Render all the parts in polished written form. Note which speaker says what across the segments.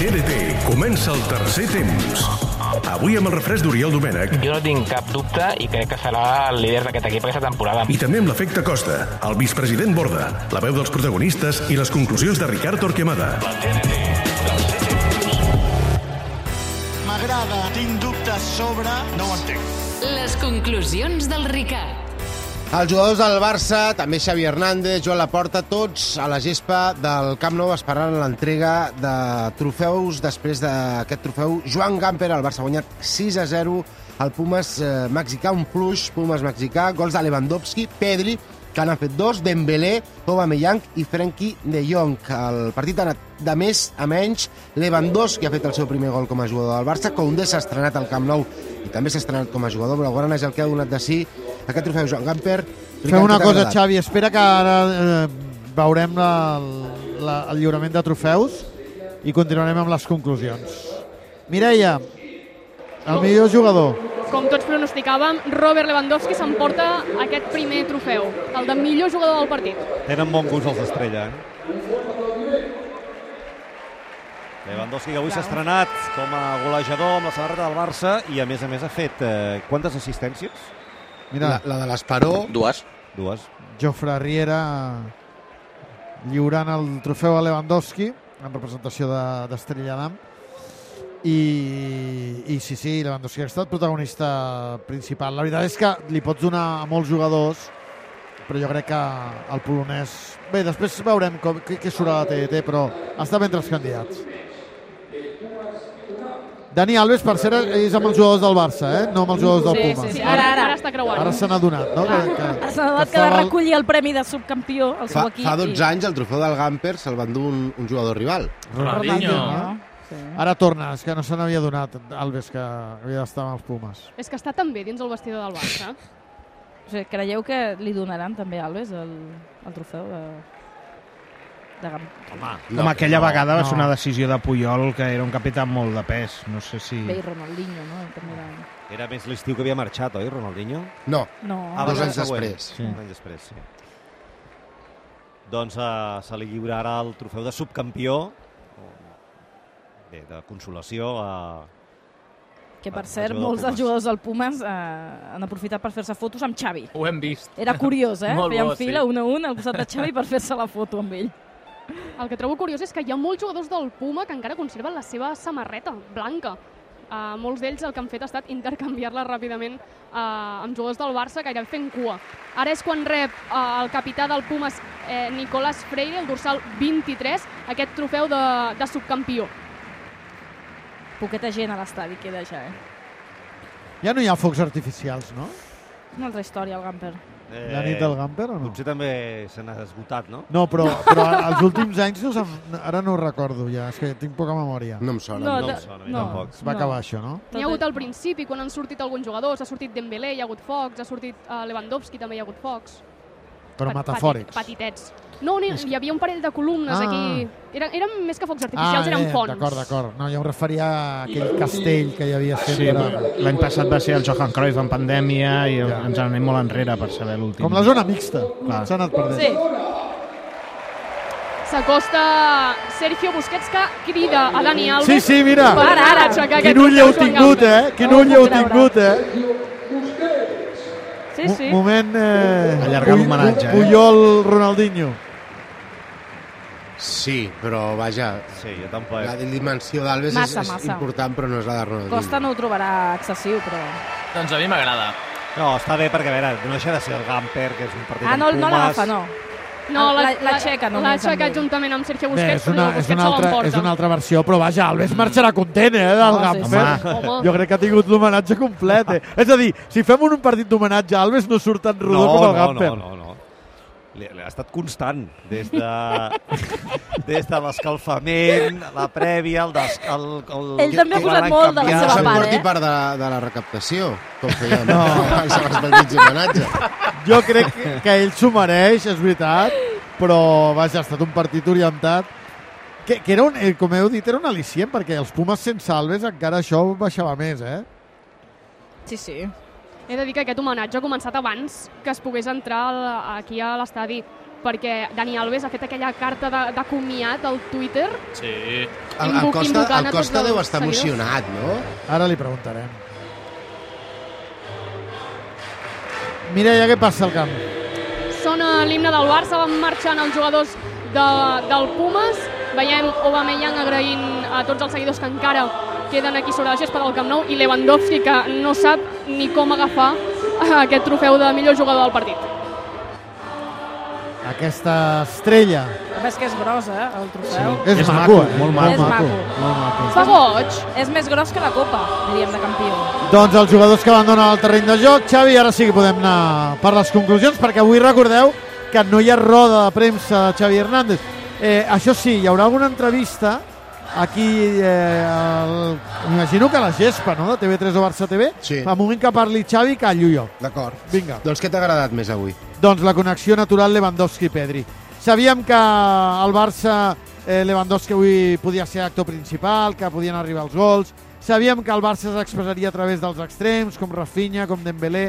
Speaker 1: TDT comença el tercer temps. Avui amb el refresc d'Oriol Domènech.
Speaker 2: Jo no tinc cap dubte i crec que serà el líder d'aquest equip aquesta temporada.
Speaker 1: I també amb l'efecte Costa, el vicepresident Borda, la veu dels protagonistes i les conclusions de Ricard Torquemada.
Speaker 3: M'agrada, tinc dubtes sobre... No ho entenc.
Speaker 4: Les conclusions del Ricard.
Speaker 5: Els jugadors del Barça, també Xavi Hernández, Joan Laporta, tots a la gespa del Camp Nou esperant l'entrega de trofeus. Després d'aquest trofeu, Joan Gamper, el Barça ha guanyat 6-0 al Pumas mexicà, un fluix Pumas mexicà, gols de Lewandowski, Pedri, que n'han fet 2, Dembélé, Aubameyang i Frenkie de Jong. El partit ha anat de més a menys. Lewandowski ha fet el seu primer gol com a jugador del Barça, Koundé s'ha estrenat al Camp Nou i també s'ha estrenat com a jugador, però gran és el que ha donat de sí aquest trofeu. Joan Gamper,
Speaker 6: fem una cosa, Xavi, espera que ara veurem el lliurament de trofeus i continuarem amb les conclusions. Mireia, el millor jugador.
Speaker 7: Com tots pronosticàvem, Robert Lewandowski s'emporta aquest primer trofeu, el de millor jugador del partit.
Speaker 8: Tenen bon gust els d'Estrella, Lewandowski, que avui s'ha estrenat com a golejador amb la samarreta del Barça i a més ha fet quantes assistències?
Speaker 5: Mira, la de l'Esperó.
Speaker 9: Dues.
Speaker 6: Jofre Riera lliurant el trofeu a Lewandowski en representació d'Estrella d'Am. I sí, Lewandowski ha estat protagonista principal. La veritat és que li pots donar a molts jugadors, però jo crec que el polonès... Bé, després veurem què surt a la TDT, però està ben entre els candidats. Dani Alves, per cert, és amb els jugadors del Barça, no amb els jugadors del Pumas.
Speaker 7: Sí. Ara està creuant.
Speaker 6: Ara se n'ha donat, no?
Speaker 10: S'ha adonat que ha de recollir el premi de subcampió al seu equip.
Speaker 5: Fa 12 anys el trofeu del Gamper se'l va endur un jugador rival.
Speaker 6: Ronaldinho. Ara torna, és que no se n'havia donat Alves, que havia d'estar amb els Pumas.
Speaker 7: És que està també dins el vestidor del Barça.
Speaker 10: O sigui, creieu que li donaran també a Alves el trofeu de Gamper?
Speaker 11: Com aquella vegada va ser una decisió de Puyol, que era un capità molt de pes. No sé si...
Speaker 10: Bé, i Ronaldinho, no?
Speaker 8: Era més l'estiu que havia marxat, oi, Ronaldinho?
Speaker 5: No. 2 anys després.
Speaker 8: Sí. 2 anys després, sí. Doncs se li lliurarà el trofeu de subcampió, de consolació a...
Speaker 10: Que, per cert, molts dels jugadors del Pumas han aprofitat per fer-se fotos amb Xavi.
Speaker 2: Ho hem vist.
Speaker 10: Era curiós, Feien fila,
Speaker 2: sí.
Speaker 10: un a un, al costat de Xavi per fer-se la foto amb ell.
Speaker 7: El que trobo curiós és que hi ha molts jugadors del Puma que encara conserven la seva samarreta blanca. Molts d'ells el que han fet ha estat intercanviar-la ràpidament amb jugadors del Barça, gairebé fent cua. Ara és quan rep el capità del Pumas, Nicolás Freire, el dorsal 23, aquest trofeu de subcampió.
Speaker 10: Poqueta gent a l'estadi queda ja,
Speaker 6: Ja no hi ha focs artificials, no?
Speaker 10: Una altra història, el Gamper.
Speaker 6: La nit del Gamper o no?
Speaker 8: Potser també se n'ha esgotat, no?
Speaker 6: No, però els últims anys ara no ho recordo ja, és que tinc poca memòria.
Speaker 5: No em sona.
Speaker 8: No em sona, tampoc.
Speaker 6: Es va acabar això, no?
Speaker 7: N'hi ha hagut al principi, quan han sortit alguns jugadors, ha sortit Dembélé, hi ha hagut focs, ha sortit Lewandowski, també hi ha hagut focs.
Speaker 6: Però metafòrics.
Speaker 7: Petitets. No, hi havia un parell de columnes aquí. Eren més que focs artificials, eren fonts.
Speaker 6: D'acord. No, jo em referia a aquell castell que hi havia sempre.
Speaker 11: Sí, l'any passat va ser el Johan Cruyff en pandèmia i ens anem molt enrere per saber l'últim.
Speaker 6: Com la zona mixta. S'ha anat perdent.
Speaker 7: Sí. S'acosta Sergio Busquets, que crida a Dani Alves.
Speaker 6: Sí, mira.
Speaker 7: Ara.
Speaker 6: Quin ull heu tingut, Quin ull heu tingut,
Speaker 10: Sí.
Speaker 6: Moment...
Speaker 11: Allargar l'homenatge.
Speaker 6: Puyol, Ronaldinho.
Speaker 5: Sí, però vaja,
Speaker 8: Sí, jo tampoc.
Speaker 5: la dimensió d'Alves és important, però no és la de Ronaldinho.
Speaker 10: Costa no ho trobarà excessiu, però...
Speaker 2: Doncs a mi m'agrada.
Speaker 8: No, està bé perquè, a veure, no deixa de ser el Gamper, que és un partit amb Pumas.
Speaker 10: No l'agafa, no.
Speaker 7: No,
Speaker 10: l'aixeca només.
Speaker 7: L'ha aixecat juntament amb Sergio
Speaker 6: Bé,
Speaker 7: Busquets, però Busquets se l'emporta.
Speaker 6: és una altra versió, però vaja, Alves marxarà content, del Gamper.
Speaker 7: Home.
Speaker 6: Jo crec que ha tingut l'homenatge complet, És a dir, si fem un partit d'homenatge a Alves no surt tan rodó com el Gamper.
Speaker 8: No. Ha estat constant, des de l'escalfament, la prèvia,
Speaker 10: Ell també ha posat molt de la seva
Speaker 5: Se'n
Speaker 10: part,
Speaker 5: porti part de la recaptació, com feien els partits d'homenatge.
Speaker 6: Jo crec que ell s'ho mereix, és veritat, però vaja, ha estat un partit orientat que era com heu dit, era un al·licient, perquè els Pumas sense Alves encara això baixava més,
Speaker 10: Sí.
Speaker 7: He de dir que aquest homenatge ha començat abans que es pogués entrar aquí a l'estadi. perquè Dani Alves ha fet aquella carta de comiat al Twitter.
Speaker 9: Sí.
Speaker 5: El Costa deu estar emocionat, no?
Speaker 6: Ara li preguntarem. Mireia, què passa al camp?
Speaker 7: Sona l'himne del Barça, van marxant els jugadors del Pumas. Veiem Aubameyang agraint a tots els seguidors que encara queden aquí sobre la gespa del Camp Nou i Lewandowski, que no sap ni com agafar aquest trofeu de millor jugador del partit.
Speaker 6: Aquesta estrella.
Speaker 10: A més que és gros, el trofeu.
Speaker 6: Sí. És maco,
Speaker 11: molt maco.
Speaker 7: Fa goig.
Speaker 10: És més gros que la Copa, diríem, de campió.
Speaker 6: Doncs els jugadors que abandonen el terreny de joc. Xavi, ara sí que podem anar per les conclusions, perquè avui recordeu que no hi ha roda de premsa de Xavi Hernández. Això sí, hi haurà alguna entrevista aquí, m'imagino que a la gespa, no?, de TV3 o Barça TV.
Speaker 5: Sí.
Speaker 6: Al moment que parli Xavi, callo jo.
Speaker 5: D'acord.
Speaker 6: Vinga.
Speaker 5: Doncs què t'ha agradat més avui?
Speaker 6: Doncs la connexió natural Lewandowski-Pedri. Sabíem que el Barça, Lewandowski avui podia ser actor principal, que podien arribar els gols. Sabíem que el Barça s'expressaria a través dels extrems, com Rafinha, com Dembélé,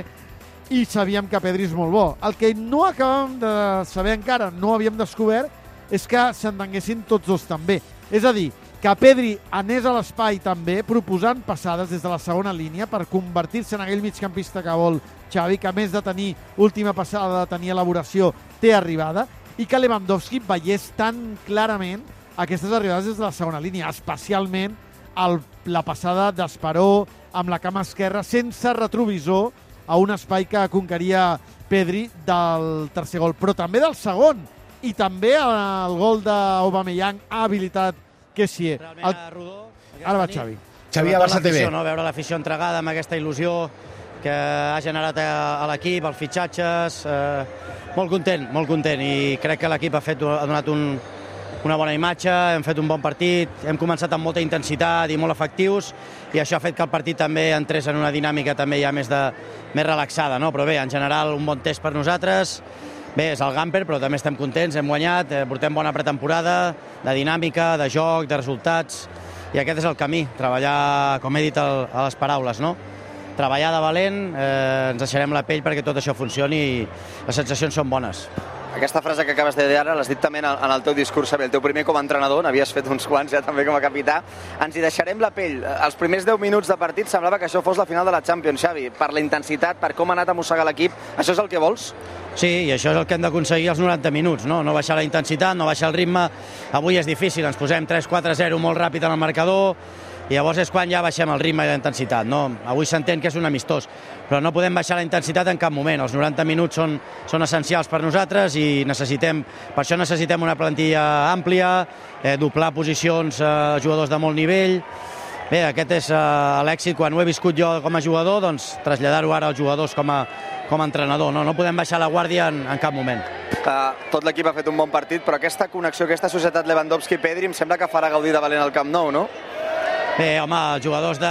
Speaker 6: i sabíem que Pedri és molt bo. El que no acabem de saber encara, no havíem descobert, és que s'entenguessin tots dos també. És a dir, que Pedri anés a l'espai també, proposant passades des de la segona línia per convertir-se en aquell migcampista que vol Xavi, que a més de tenir última passada, de tenir elaboració, té arribada, i que Lewandowski veiés tan clarament aquestes arribades des de la segona línia, especialment la passada d'Esperó amb la cama esquerra sense retrovisor a un espai que conqueria Pedri del tercer gol, però també del segon, i també el gol d'Aubameyang ha habilitat Kessié. Ara va Xavi.
Speaker 5: Xavi a Barça TV.
Speaker 12: Veure l'afició entregada amb aquesta il·lusió que ha generat a l'equip, els fitxatges, molt content, i crec que l'equip ha donat una bona imatge, hem fet un bon partit, hem començat amb molta intensitat i molt efectius, i això ha fet que el partit també entrés en una dinàmica també ja més relaxada, no? Però bé, en general, un bon test per nosaltres. Bé, és el Gamper, però també estem contents, hem guanyat, portem bona pretemporada, de dinàmica, de joc, de resultats, i aquest és el camí, treballar, com he dit a les paraules, no? Treballar de valent, ens deixarem la pell perquè tot això funcioni i les sensacions són bones.
Speaker 13: Aquesta frase que acabes de dir ara l'has dit també en el teu discurs, Xavi, el teu primer com a entrenador, n'havies fet uns quants ja també com a capità. Ens hi deixarem la pell. Els primers 10 minuts de partit semblava que això fos la final de la Champions, Xavi, per la intensitat, per com ha anat a mossegar l'equip. Això és el que vols?
Speaker 12: Sí, i això és el que hem d'aconseguir als 90 minuts, no baixar la intensitat, no baixar el ritme. Avui és difícil, ens posem 3-4-0 molt ràpid en el marcador, i llavors és quan ja baixem el ritme i la intensitat. Avui s'entén que és un amistós, però no podem baixar la intensitat en cap moment. Els 90 minuts són essencials per nosaltres i per això necessitem una plantilla àmplia, doblar posicions a jugadors de molt nivell. Bé, aquest és l'èxit. Quan ho he viscut jo com a jugador, doncs traslladar-ho ara als jugadors com a entrenador. No podem baixar la guàrdia en cap moment.
Speaker 13: Tot l'equip ha fet un bon partit, però aquesta connexió, aquesta societat Lewandowski-Pedri em sembla que farà gaudir de valent al Camp Nou, no?
Speaker 12: Bé, home, els jugadors de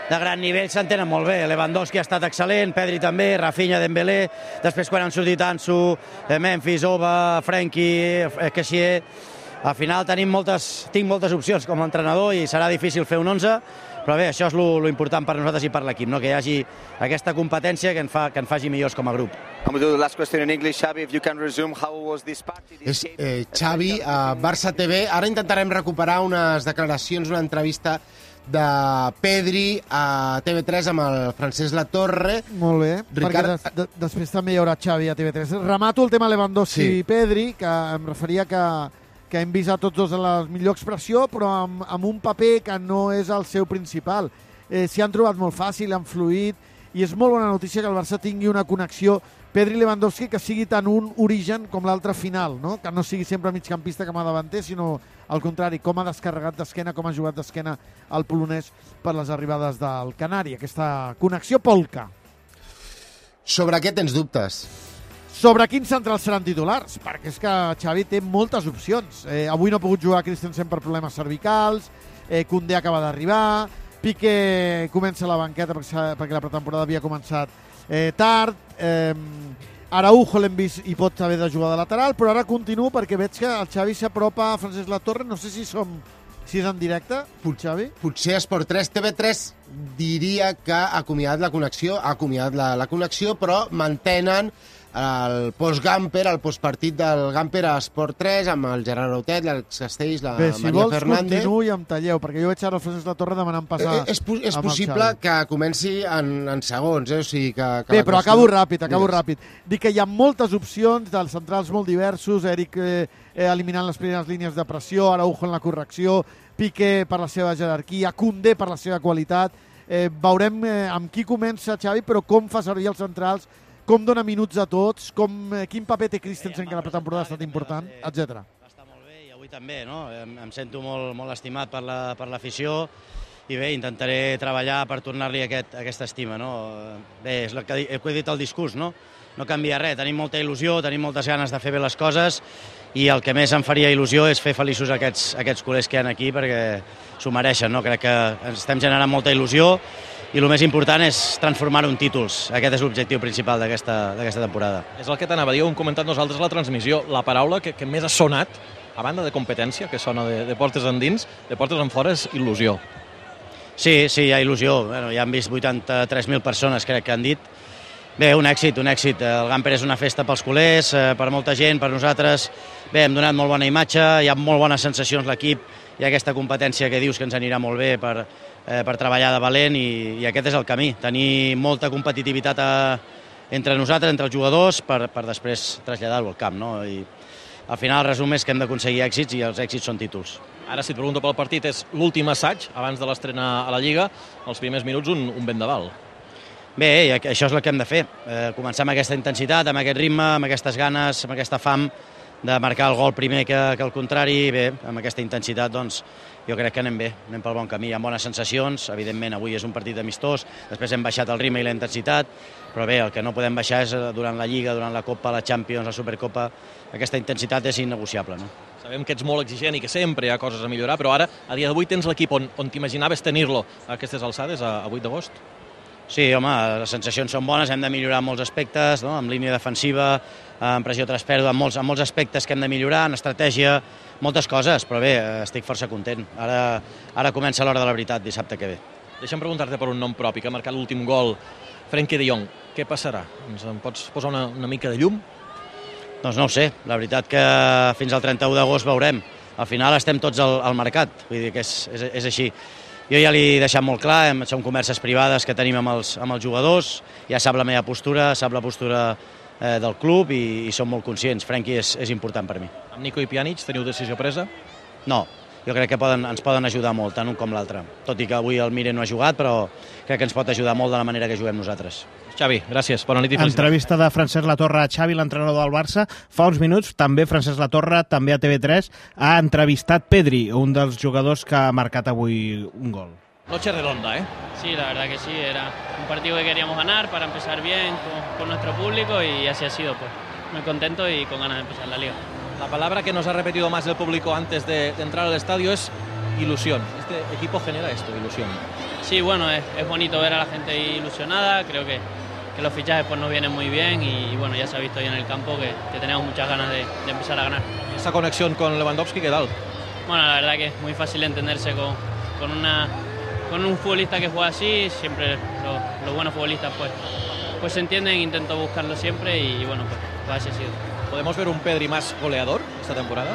Speaker 12: gran nivell s'entenen molt bé. Lewandowski ha estat excel·lent, Pedri també, Rafinha, Dembélé, després quan han sortit Ansu, Memphis, Oba, Frenkie, Kessié. Al final tinc moltes opcions com a entrenador i serà difícil fer un 11, però bé, això és lo important per nosaltres i per l'equip, no? Que hi hagi aquesta competència que ens faci millors com a grup.
Speaker 13: Last question in English, Xavi, if you can resume, how was this party?
Speaker 5: És Xavi a Barça TV. Ara intentarem recuperar unes declaracions, una entrevista de Pedri a TV3 amb el Francesc Latorre.
Speaker 6: Molt bé, perquè després també hi haurà Xavi a TV3. Remato el tema Lewandowski i Pedri, que em referia que hem vist a tots dos en la millor expressió, però amb un paper que no és el seu principal. S'hi han trobat molt fàcil, han fluït, i és molt bona notícia que el Barça tingui una connexió Pedri-Lewandowski que sigui tant un origen com l'altre final, no? Que no sigui sempre migcampista com a davanter, sinó al contrari, com ha descarregat d'esquena, com ha jugat d'esquena el polonès per les arribades del Canari, aquesta connexió polca.
Speaker 5: Sobre què tens dubtes?
Speaker 6: Sobre quins centrals seran titulars, perquè és que Xavi té moltes opcions. Avui no ha pogut jugar Christensen per problemes cervicals, Koundé acaba d'arribar, Piqué comença la banqueta perquè la pretemporada havia començat tard, Araujo l'hem vist i pot haver de jugar de lateral, però ara continuo perquè veig que el Xavi s'apropa a Francesc Latorre, no sé si és en directe, Xavi?
Speaker 5: Potser Esport 3, TV3 diria que ha acomiadat la connexió, però mantenen el post-Gamper, el postpartit del Gamper a Esport 3, amb el Gerard Autet, l'Àlex Castells, la Maria Fernández.
Speaker 6: Bé, si vols, continuï amb Talleu, perquè jo veig ara el Francesc Latorre demanant passar...
Speaker 5: És possible que comenci en segons, o sigui que...
Speaker 6: Bé, però acabo ràpid. Dic que hi ha moltes opcions dels centrals molt diversos, Eric eliminant les primeres línies de pressió, Araujo en la correcció, Piqué per la seva jerarquia, Koundé per la seva qualitat. Veurem amb qui comença Xavi, però com fa servir els centrals, com dona minuts a tots, quin paper té Christensen, que la pretemporada ha estat important, etc.
Speaker 12: Està molt bé i avui també, no? Em sento molt estimat per l'afició i bé, intentaré treballar per tornar-li aquesta estima, no? Bé, és el que he dit al discurs, no? No canvia res, tenim molta il·lusió, tenim moltes ganes de fer bé les coses i el que més em faria il·lusió és fer feliços aquests culers que hi ha aquí perquè s'ho mereixen, no? Crec que estem generant molta il·lusió i el més important és transformar-ho en títols. Aquest és l'objectiu principal d'aquesta temporada.
Speaker 9: És el que t'anava a dir, ho hem comentat nosaltres a la transmissió. La paraula que més ha sonat, a banda de competència, que sona de portes endins, de portes enfora, és il·lusió.
Speaker 12: Sí, hi ha il·lusió. Bueno, ja han vist 83.000 persones, crec que han dit. Bé, un èxit. El Gamper és una festa pels culers, per molta gent, per nosaltres. Bé, hem donat molt bona imatge, hi ha molt bones sensacions l'equip, hi ha aquesta competència que dius que ens anirà molt bé per treballar de valent i aquest és el camí, tenir molta competitivitat entre nosaltres, entre els jugadors, per després traslladar-ho al camp, no? I al final el resum és que hem d'aconseguir èxits i els èxits són títols.
Speaker 9: Ara, si et pregunto pel partit, és l'últim assaig abans de l'estrena a la Lliga, els primers minuts un vendaval.
Speaker 12: Bé, això és el que hem de fer, començar amb aquesta intensitat, amb aquest ritme, amb aquestes ganes, amb aquesta fam de marcar el gol primer que el contrari. Bé, amb aquesta intensitat, doncs, jo crec que anem bé, anem pel bon camí, hi ha bones sensacions, evidentment avui és un partit amistós, després hem baixat el ritme i la intensitat, però bé, el que no podem baixar és durant la Lliga, durant la Copa, la Champions, la Supercopa, aquesta intensitat és innegociable, no?
Speaker 9: Sabem que ets molt exigent i que sempre hi ha coses a millorar, però ara, a dia d'avui, tens l'equip on t'imaginaves tenir-lo a aquestes alçades, a 8 d'agost?
Speaker 12: Sí, home, les sensacions són bones, hem de millorar en molts aspectes, no? En línia defensiva, en pressió tras pèrdua, en molts aspectes que hem de millorar, en estratègia, moltes coses, però bé, estic força content. Ara comença l'hora de la veritat, dissabte que ve.
Speaker 9: Deixa'm preguntar-te per un nom propi, que ha marcat l'últim gol, Frenkie de Jong. Què passarà? Em pots posar una mica de llum?
Speaker 12: Doncs no ho sé, la veritat que fins al 31 d'agost veurem. Al final estem tots al mercat, vull dir que és així. Jo ja li he deixat molt clar, són converses privades que tenim amb els jugadors, ja sap la meva postura, sap la postura del club i som molt conscients. Frenkie és important per mi.
Speaker 9: Amb Nico i Pjanic teniu decisió presa?
Speaker 12: No, jo crec que ens poden ajudar molt, tant un com l'altre. Tot i que avui el Mire no ha jugat, però crec que ens pot ajudar molt de la manera que juguem nosaltres.
Speaker 9: Xavi, gràcies. Bona nit i felicitats.
Speaker 11: Entrevista de Francesc Latorre a Xavi, l'entrenador del Barça. Fa uns minuts, també Francesc Latorre, també a TV3, ha entrevistat Pedri, un dels jugadors que ha marcat avui un gol.
Speaker 9: Noche redonda, ¿eh?
Speaker 14: Sí, la verdad que sí. Era un partido que queríamos ganar para empezar bien con nuestro público y así ha sido, pues. Muy contento y con ganas de empezar la Liga.
Speaker 9: La palabra que nos ha repetido más el público antes de entrar al estadio es ilusión. Este equipo genera esto, ilusión.
Speaker 14: Sí, bueno, es bonito ver a la gente ilusionada. Creo que los fichajes pues nos vienen muy bien y bueno, ya se ha visto hoy en el campo que tenemos muchas ganas de empezar a ganar.
Speaker 9: Esa conexión con Lewandowski, ¿qué tal?
Speaker 14: Bueno, la verdad que es muy fácil entenderse con un futbolista que juega así. Siempre los buenos futbolistas pues se entienden, intento buscarlo siempre y bueno, pues así ha sido.
Speaker 9: ¿Podemos ver un Pedri más goleador esta temporada?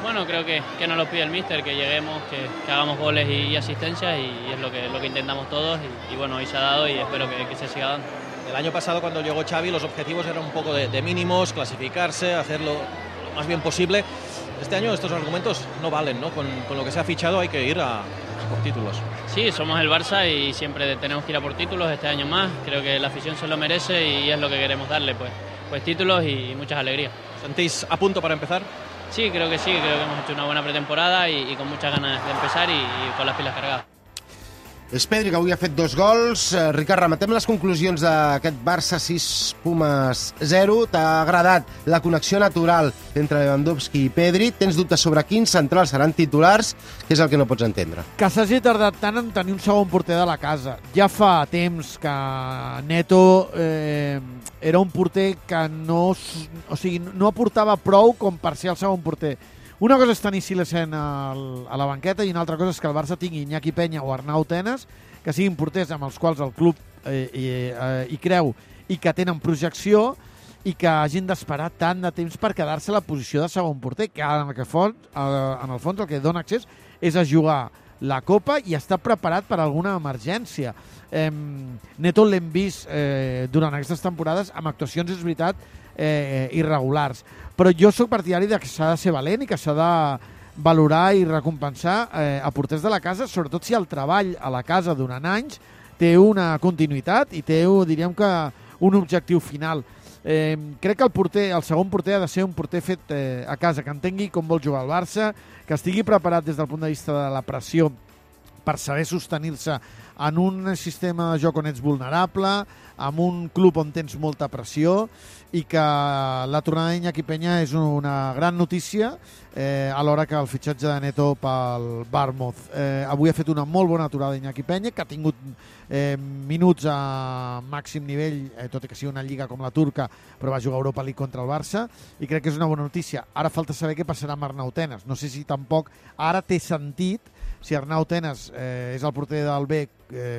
Speaker 14: Bueno, creo que nos lo pide el míster, que lleguemos, que hagamos goles y asistencias y es lo que intentamos todos y bueno, hoy se ha dado y espero que se siga dando.
Speaker 9: El año pasado, cuando llegó Xavi, los objetivos eran un poco de mínimos, clasificarse, hacerlo lo más bien posible. Este año estos argumentos no valen, ¿no? Con lo que se ha fichado hay que ir a por títulos.
Speaker 14: Sí, somos el Barça y siempre tenemos que ir a por títulos este año más. Creo que la afición se lo merece y es lo que queremos darle, pues títulos y muchas alegrías.
Speaker 9: ¿Sentís a punto para empezar?
Speaker 14: Sí, creo que hemos hecho una buena pretemporada y con muchas ganas de empezar y con las pilas cargadas.
Speaker 5: És Pedri, que avui ha fet 2 gols. Ricard, rematem les conclusions d'aquest Barça 6, Pumas 0. T'ha agradat la connexió natural entre Lewandowski i Pedri? Tens dubtes sobre quins centrals seran titulars? Què és el que no pots entendre?
Speaker 6: Que s'hagi tardat tant en tenir un segon porter de la casa. Ja fa temps que Neto era un porter que no aportava prou com per ser el segon porter. Una cosa és tenir Silesen a la banqueta i una altra cosa és que el Barça tingui Iñaki Peña o Arnau Tenas, que siguin porters amb els quals el club hi creu i que tenen projecció, i que hagin d'esperar tant de temps per quedar-se a la posició de segon porter, que en el fons el que dona accés és a jugar la Copa i està preparat per alguna emergència. Neto l'hem vist durant aquestes temporades amb actuacions, és veritat, irregulars. Però jo sóc partidari que s'ha de ser valent i que s'ha de valorar i recompensar a porters de la casa, sobretot si el treball a la casa durant anys té una continuïtat i té, diríem que, un objectiu final. Crec que el segon porter ha de ser un porter fet a casa, que entengui com vol jugar el Barça, que estigui preparat des del punt de vista de la pressió per saber sostenir-se en un sistema de joc on ets vulnerable, en un club on tens molta pressió, i que la tornada d'Iñaki Peña és una gran notícia alhora que el fitxatge de Neto pel Bournemouth. Avui ha fet una molt bona aturada d'Iñaki Peña, que ha tingut minuts a màxim nivell, tot i que sigui una lliga com la turca, però va jugar a Europa League contra el Barça, i crec que és una bona notícia. Ara falta saber què passarà amb Arnau Tenas. No sé si tampoc ara té sentit, si Arnau Tenas és el porter del B,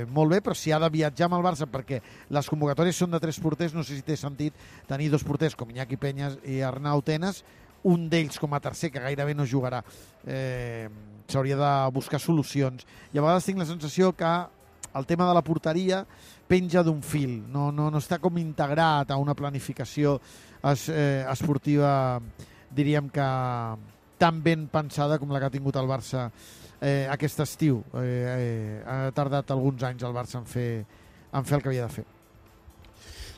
Speaker 6: molt bé, però si ha de viatjar amb el Barça perquè les convocatòries són de 3 porters, no sé si té sentit tenir 2 porters com Iñaki Peña i Arnau Tenas, un d'ells com a tercer, que gairebé no jugarà. S'hauria de buscar solucions. I a vegades tinc la sensació que el tema de la porteria penja d'un fil, no està com integrat a una planificació esportiva, diríem que tan ben pensada com la que ha tingut el Barça aquest estiu. Ha tardat alguns anys el Barça en fer el que havia de fer.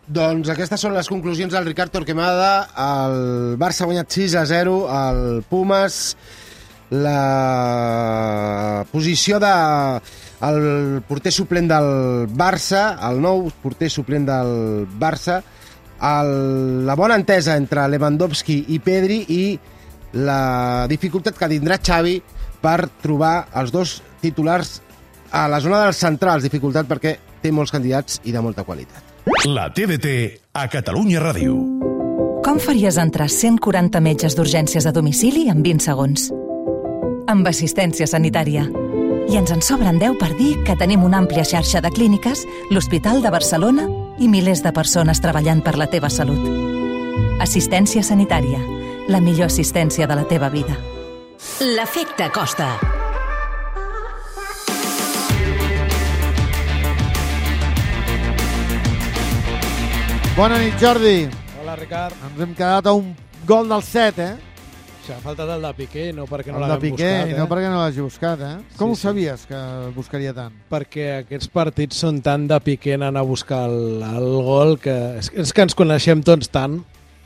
Speaker 5: Doncs aquestes són les conclusions del Ricard Torquemada. El Barça ha guanyat 6-0 al Pumas. La posició del porter suplent del Barça, el nou porter suplent del Barça, la bona entesa entre Lewandowski i Pedri i la dificultat que tindrà Xavi per trobar els dos titulars a la zona dels centrals. Dificultat perquè té molts candidats i de molta qualitat.
Speaker 1: La TDT a Catalunya Ràdio.
Speaker 15: Com faries entrar 140 metges d'urgències a domicili en 20 segons? Amb assistència sanitària. I ens en sobren 10 per dir que tenim una àmplia xarxa de clíniques, l'Hospital de Barcelona i milers de persones treballant per la teva salut. Assistència sanitària. La millor assistència de la teva vida.
Speaker 4: L'efecte Costa.
Speaker 6: Bona nit, Jordi.
Speaker 16: Hola, Ricard.
Speaker 6: Ens hem quedat a un gol del 7,
Speaker 16: S'ha faltat el de Piqué, no perquè no
Speaker 6: l'hagin buscat. El de Piqué, no perquè no l'hagi buscat, Com ho sabies que el buscaria tant?
Speaker 16: Perquè aquests partits són tan de Piqué anant a buscar el gol que és que ens coneixem tots tant.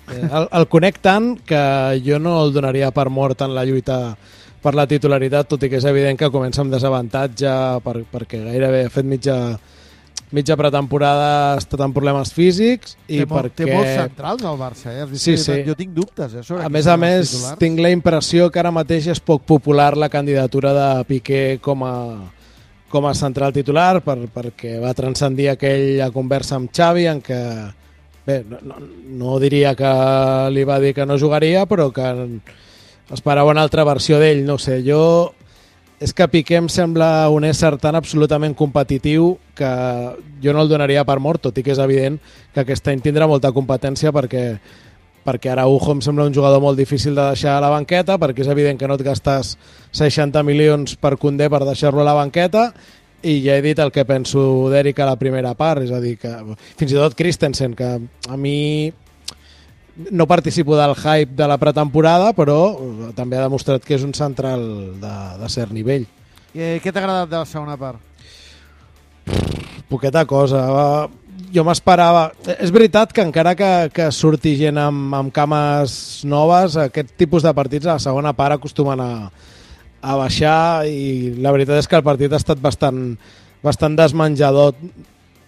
Speaker 16: El conec tant que jo no el donaria per mort en la lluita per la titularitat, tot i que és evident que comença amb desavantatge perquè gairebé ha fet mitja pretemporada, ha estat amb problemes físics i
Speaker 6: té molts centrals al Barça,
Speaker 16: Sí.
Speaker 6: Jo tinc dubtes sobre
Speaker 16: a més, tinc la impressió que ara mateix és poc popular la candidatura de Piqué com a central titular perquè va transcendir aquella conversa amb Xavi en què no diria que li va dir que no jugaria, però que esperava una altra versió d'ell, no sé, és que Piqué em sembla un ésser tan absolutament competitiu que jo no el donaria per mort, tot i que és evident que aquest any tindrà molta competència perquè Araujo em sembla un jugador molt difícil de deixar a la banqueta, perquè és evident que no et gastes 60 milions per Koundé per deixar-lo a la banqueta, i ja he dit el que penso d'Eric a la primera part, és a dir, que fins i tot Christensen, que a mi no participo del hype de la pretemporada, però també ha demostrat que és un central de cert nivell.
Speaker 6: Què t'ha agradat de la segona part?
Speaker 16: Poqueta cosa. Jo m'esperava... És veritat que encara que surti gent amb cames noves, aquest tipus de partits a la segona part acostumen a baixar, i la veritat és que el partit ha estat bastant desmenjador.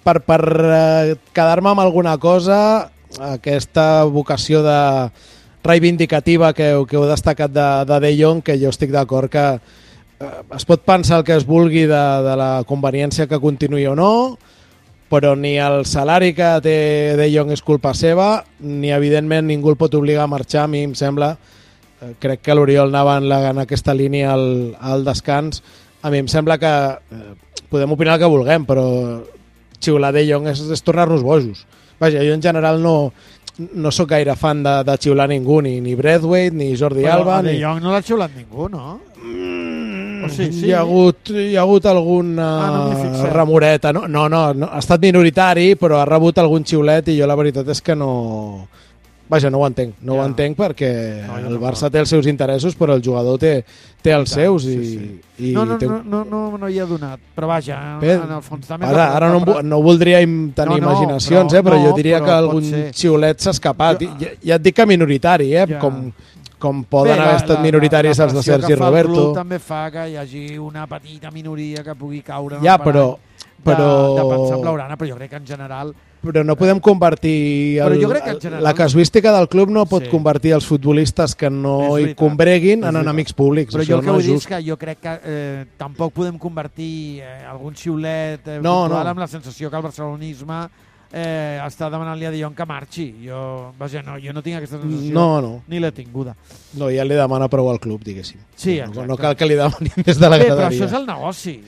Speaker 16: Per quedar-me amb alguna cosa, aquesta vocació reivindicativa que heu destacat de Jong, que jo estic d'acord que es pot pensar el que es vulgui de la conveniència que continuï o no, però ni el salari que té De Jong és culpa seva, ni evidentment ningú el pot obligar a marxar. A mi em sembla, crec que l'Oriol anava en aquesta línia al descans, a mi em sembla que podem opinar el que vulguem, però xiular De Jong és tornar-nos bojos. Vaja, jo en general no no sóc gaire fan de xiular ningú, ni Braithwaite, ni Jordi Alba.
Speaker 6: Però a De Jong no l'ha xiulat ningú, no? Sí.
Speaker 16: Hi ha hagut alguna remoreta. No, ha estat minoritari, però ha rebut algun xiulet i jo la veritat és que no... Vaja, no ho entenc. No ho entenc perquè el Barça té els seus interessos, però el jugador té els seus i...
Speaker 6: No hi ha donat, però vaja, en el fons també...
Speaker 16: Ara no voldria tenir imaginacions, però jo diria que algun xiulet s'ha escapat. Ja et dic que minoritari, com poden haver estat minoritaris els de Sergi Roberto.
Speaker 6: El club també fa que hi hagi una petita minoria que pugui caure
Speaker 16: ja, però
Speaker 6: de pensar en Blaugrana, però jo crec que en general...
Speaker 16: Però no podem convertir... La casuística del club no pot convertir els futbolistes que no hi combreguin en enemics públics.
Speaker 6: Però jo el que vull dir és que jo crec que tampoc podem convertir algun xiulet puntual amb la sensació que el barcelonisme està demanant-li a De Jong que marxi. Jo no tinc aquesta sensació ni l'he tinguda.
Speaker 16: No, ja li demana prou al club, diguéssim.
Speaker 6: Sí,
Speaker 16: no cal que li demanin des de la graderia.
Speaker 6: Però això és el negoci.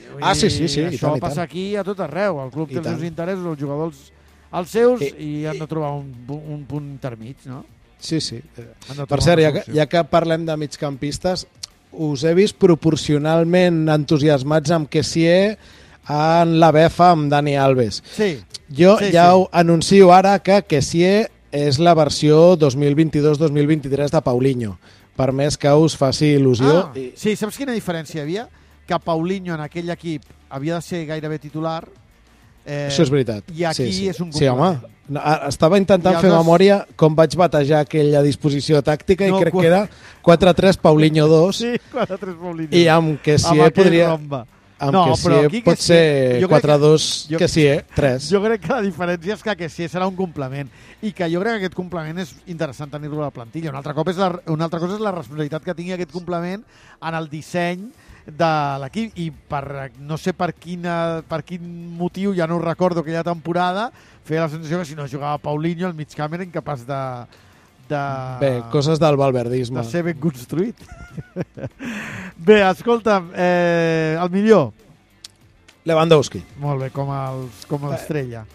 Speaker 16: Sí.
Speaker 6: Això passa aquí a tot arreu. El club té els seus interessos, els jugadors els seus, i han de trobar un punt intermig, no?
Speaker 16: Sí. Per cert, ja que parlem de migcampistes, us he vist proporcionalment entusiasmats amb Kessié en la befa amb Dani Alves. Jo ja ho anuncio ara que Kessié és la versió 2022-2023 de Paulinho, per més que us faci il·lusió.
Speaker 6: Sí, saps quina diferència hi havia? Que Paulinho en aquell equip havia de ser gairebé titular.
Speaker 16: Això és veritat.
Speaker 6: I aquí és un complement.
Speaker 16: Sí, home. Estava intentant fer memòria com vaig batejar aquella disposició tàctica i crec que era 4-3 Paulinho 2.
Speaker 6: Sí, 4-3 Paulinho.
Speaker 16: I amb Kessié podria... Amb Kessié pot ser 4-2 Kessié 3.
Speaker 6: Jo crec que la diferència és que Kessié serà un complement i que jo crec que aquest complement és interessant tenir-lo a la plantilla. Una altra cosa és la responsabilitat que tingui aquest complement en el disseny de l'equip, i no sé per quin motiu, ja no ho recordo, aquella temporada feia la sensació que si no jugava Paulinho, el migcamp era incapaç de...
Speaker 16: Bé, coses del valverdisme.
Speaker 6: De ser ben construït. Bé, escolta'm, el millor?
Speaker 16: Lewandowski.
Speaker 6: Molt bé, com l'estrella.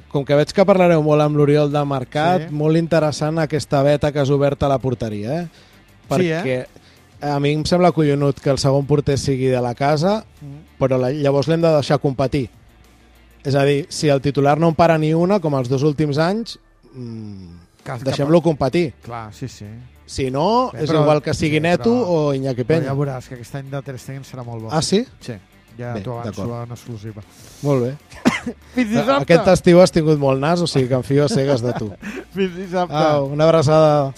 Speaker 16: Com que veig que parlareu molt amb l'Oriol de Mercat, molt interessant aquesta veta que has obert a la porteria, perquè a mi em sembla collonut que el segon porter sigui de la casa, però llavors l'hem de deixar competir. És a dir, si el titular no en para ni una, com els 2 últims anys, deixem-lo competir.
Speaker 6: Clar, sí.
Speaker 16: Si no, és igual que sigui Neto o Iñaki Peña.
Speaker 6: Ja veuràs que aquest any de Ter Stegen serà molt bo.
Speaker 16: Ah, sí?
Speaker 6: Sí, ja t'ho avanço en exclusiva.
Speaker 16: Molt bé.
Speaker 6: Fins dissabte.
Speaker 16: Aquest estiu has tingut molt nas, o sigui que em fio a cegues de tu.
Speaker 6: Fins dissabte.
Speaker 16: Una abraçada.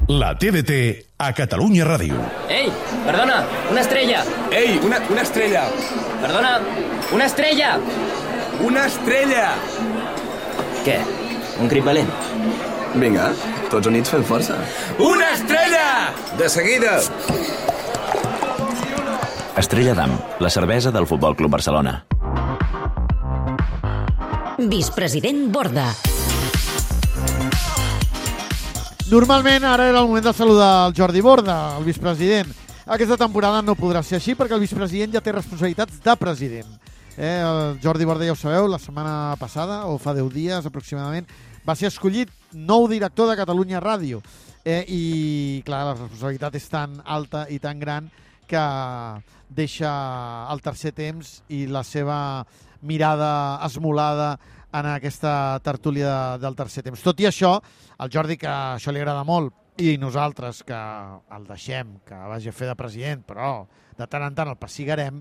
Speaker 1: La TDT a Catalunya Ràdio.
Speaker 17: Ei, perdona, una estrella.
Speaker 18: Ei, una estrella.
Speaker 17: Perdona, una estrella.
Speaker 18: Una estrella.
Speaker 17: Què? Un crit valent?
Speaker 18: Vinga, tots units fem força. Una estrella! De seguida.
Speaker 19: Estrella d'Am, la cervesa del Futbol Club Barcelona.
Speaker 4: Vicepresident Borda.
Speaker 6: Normalment ara era el moment de saludar el Jordi Borda, el vicepresident. Aquesta temporada no podrà ser així perquè el vicepresident ja té responsabilitats de president. El Jordi Borda, ja ho sabeu, la setmana passada, o fa 10 dies aproximadament, va ser escollit nou director de Catalunya Ràdio. I, clar, la responsabilitat és tan alta i tan gran que deixa el tercer temps i la seva mirada esmolada en aquesta tertúlia del tercer temps. Tot i això, el Jordi, que això li agrada molt, i nosaltres, que el deixem, que vagi a fer de president, però de tant en tant el pessigarem,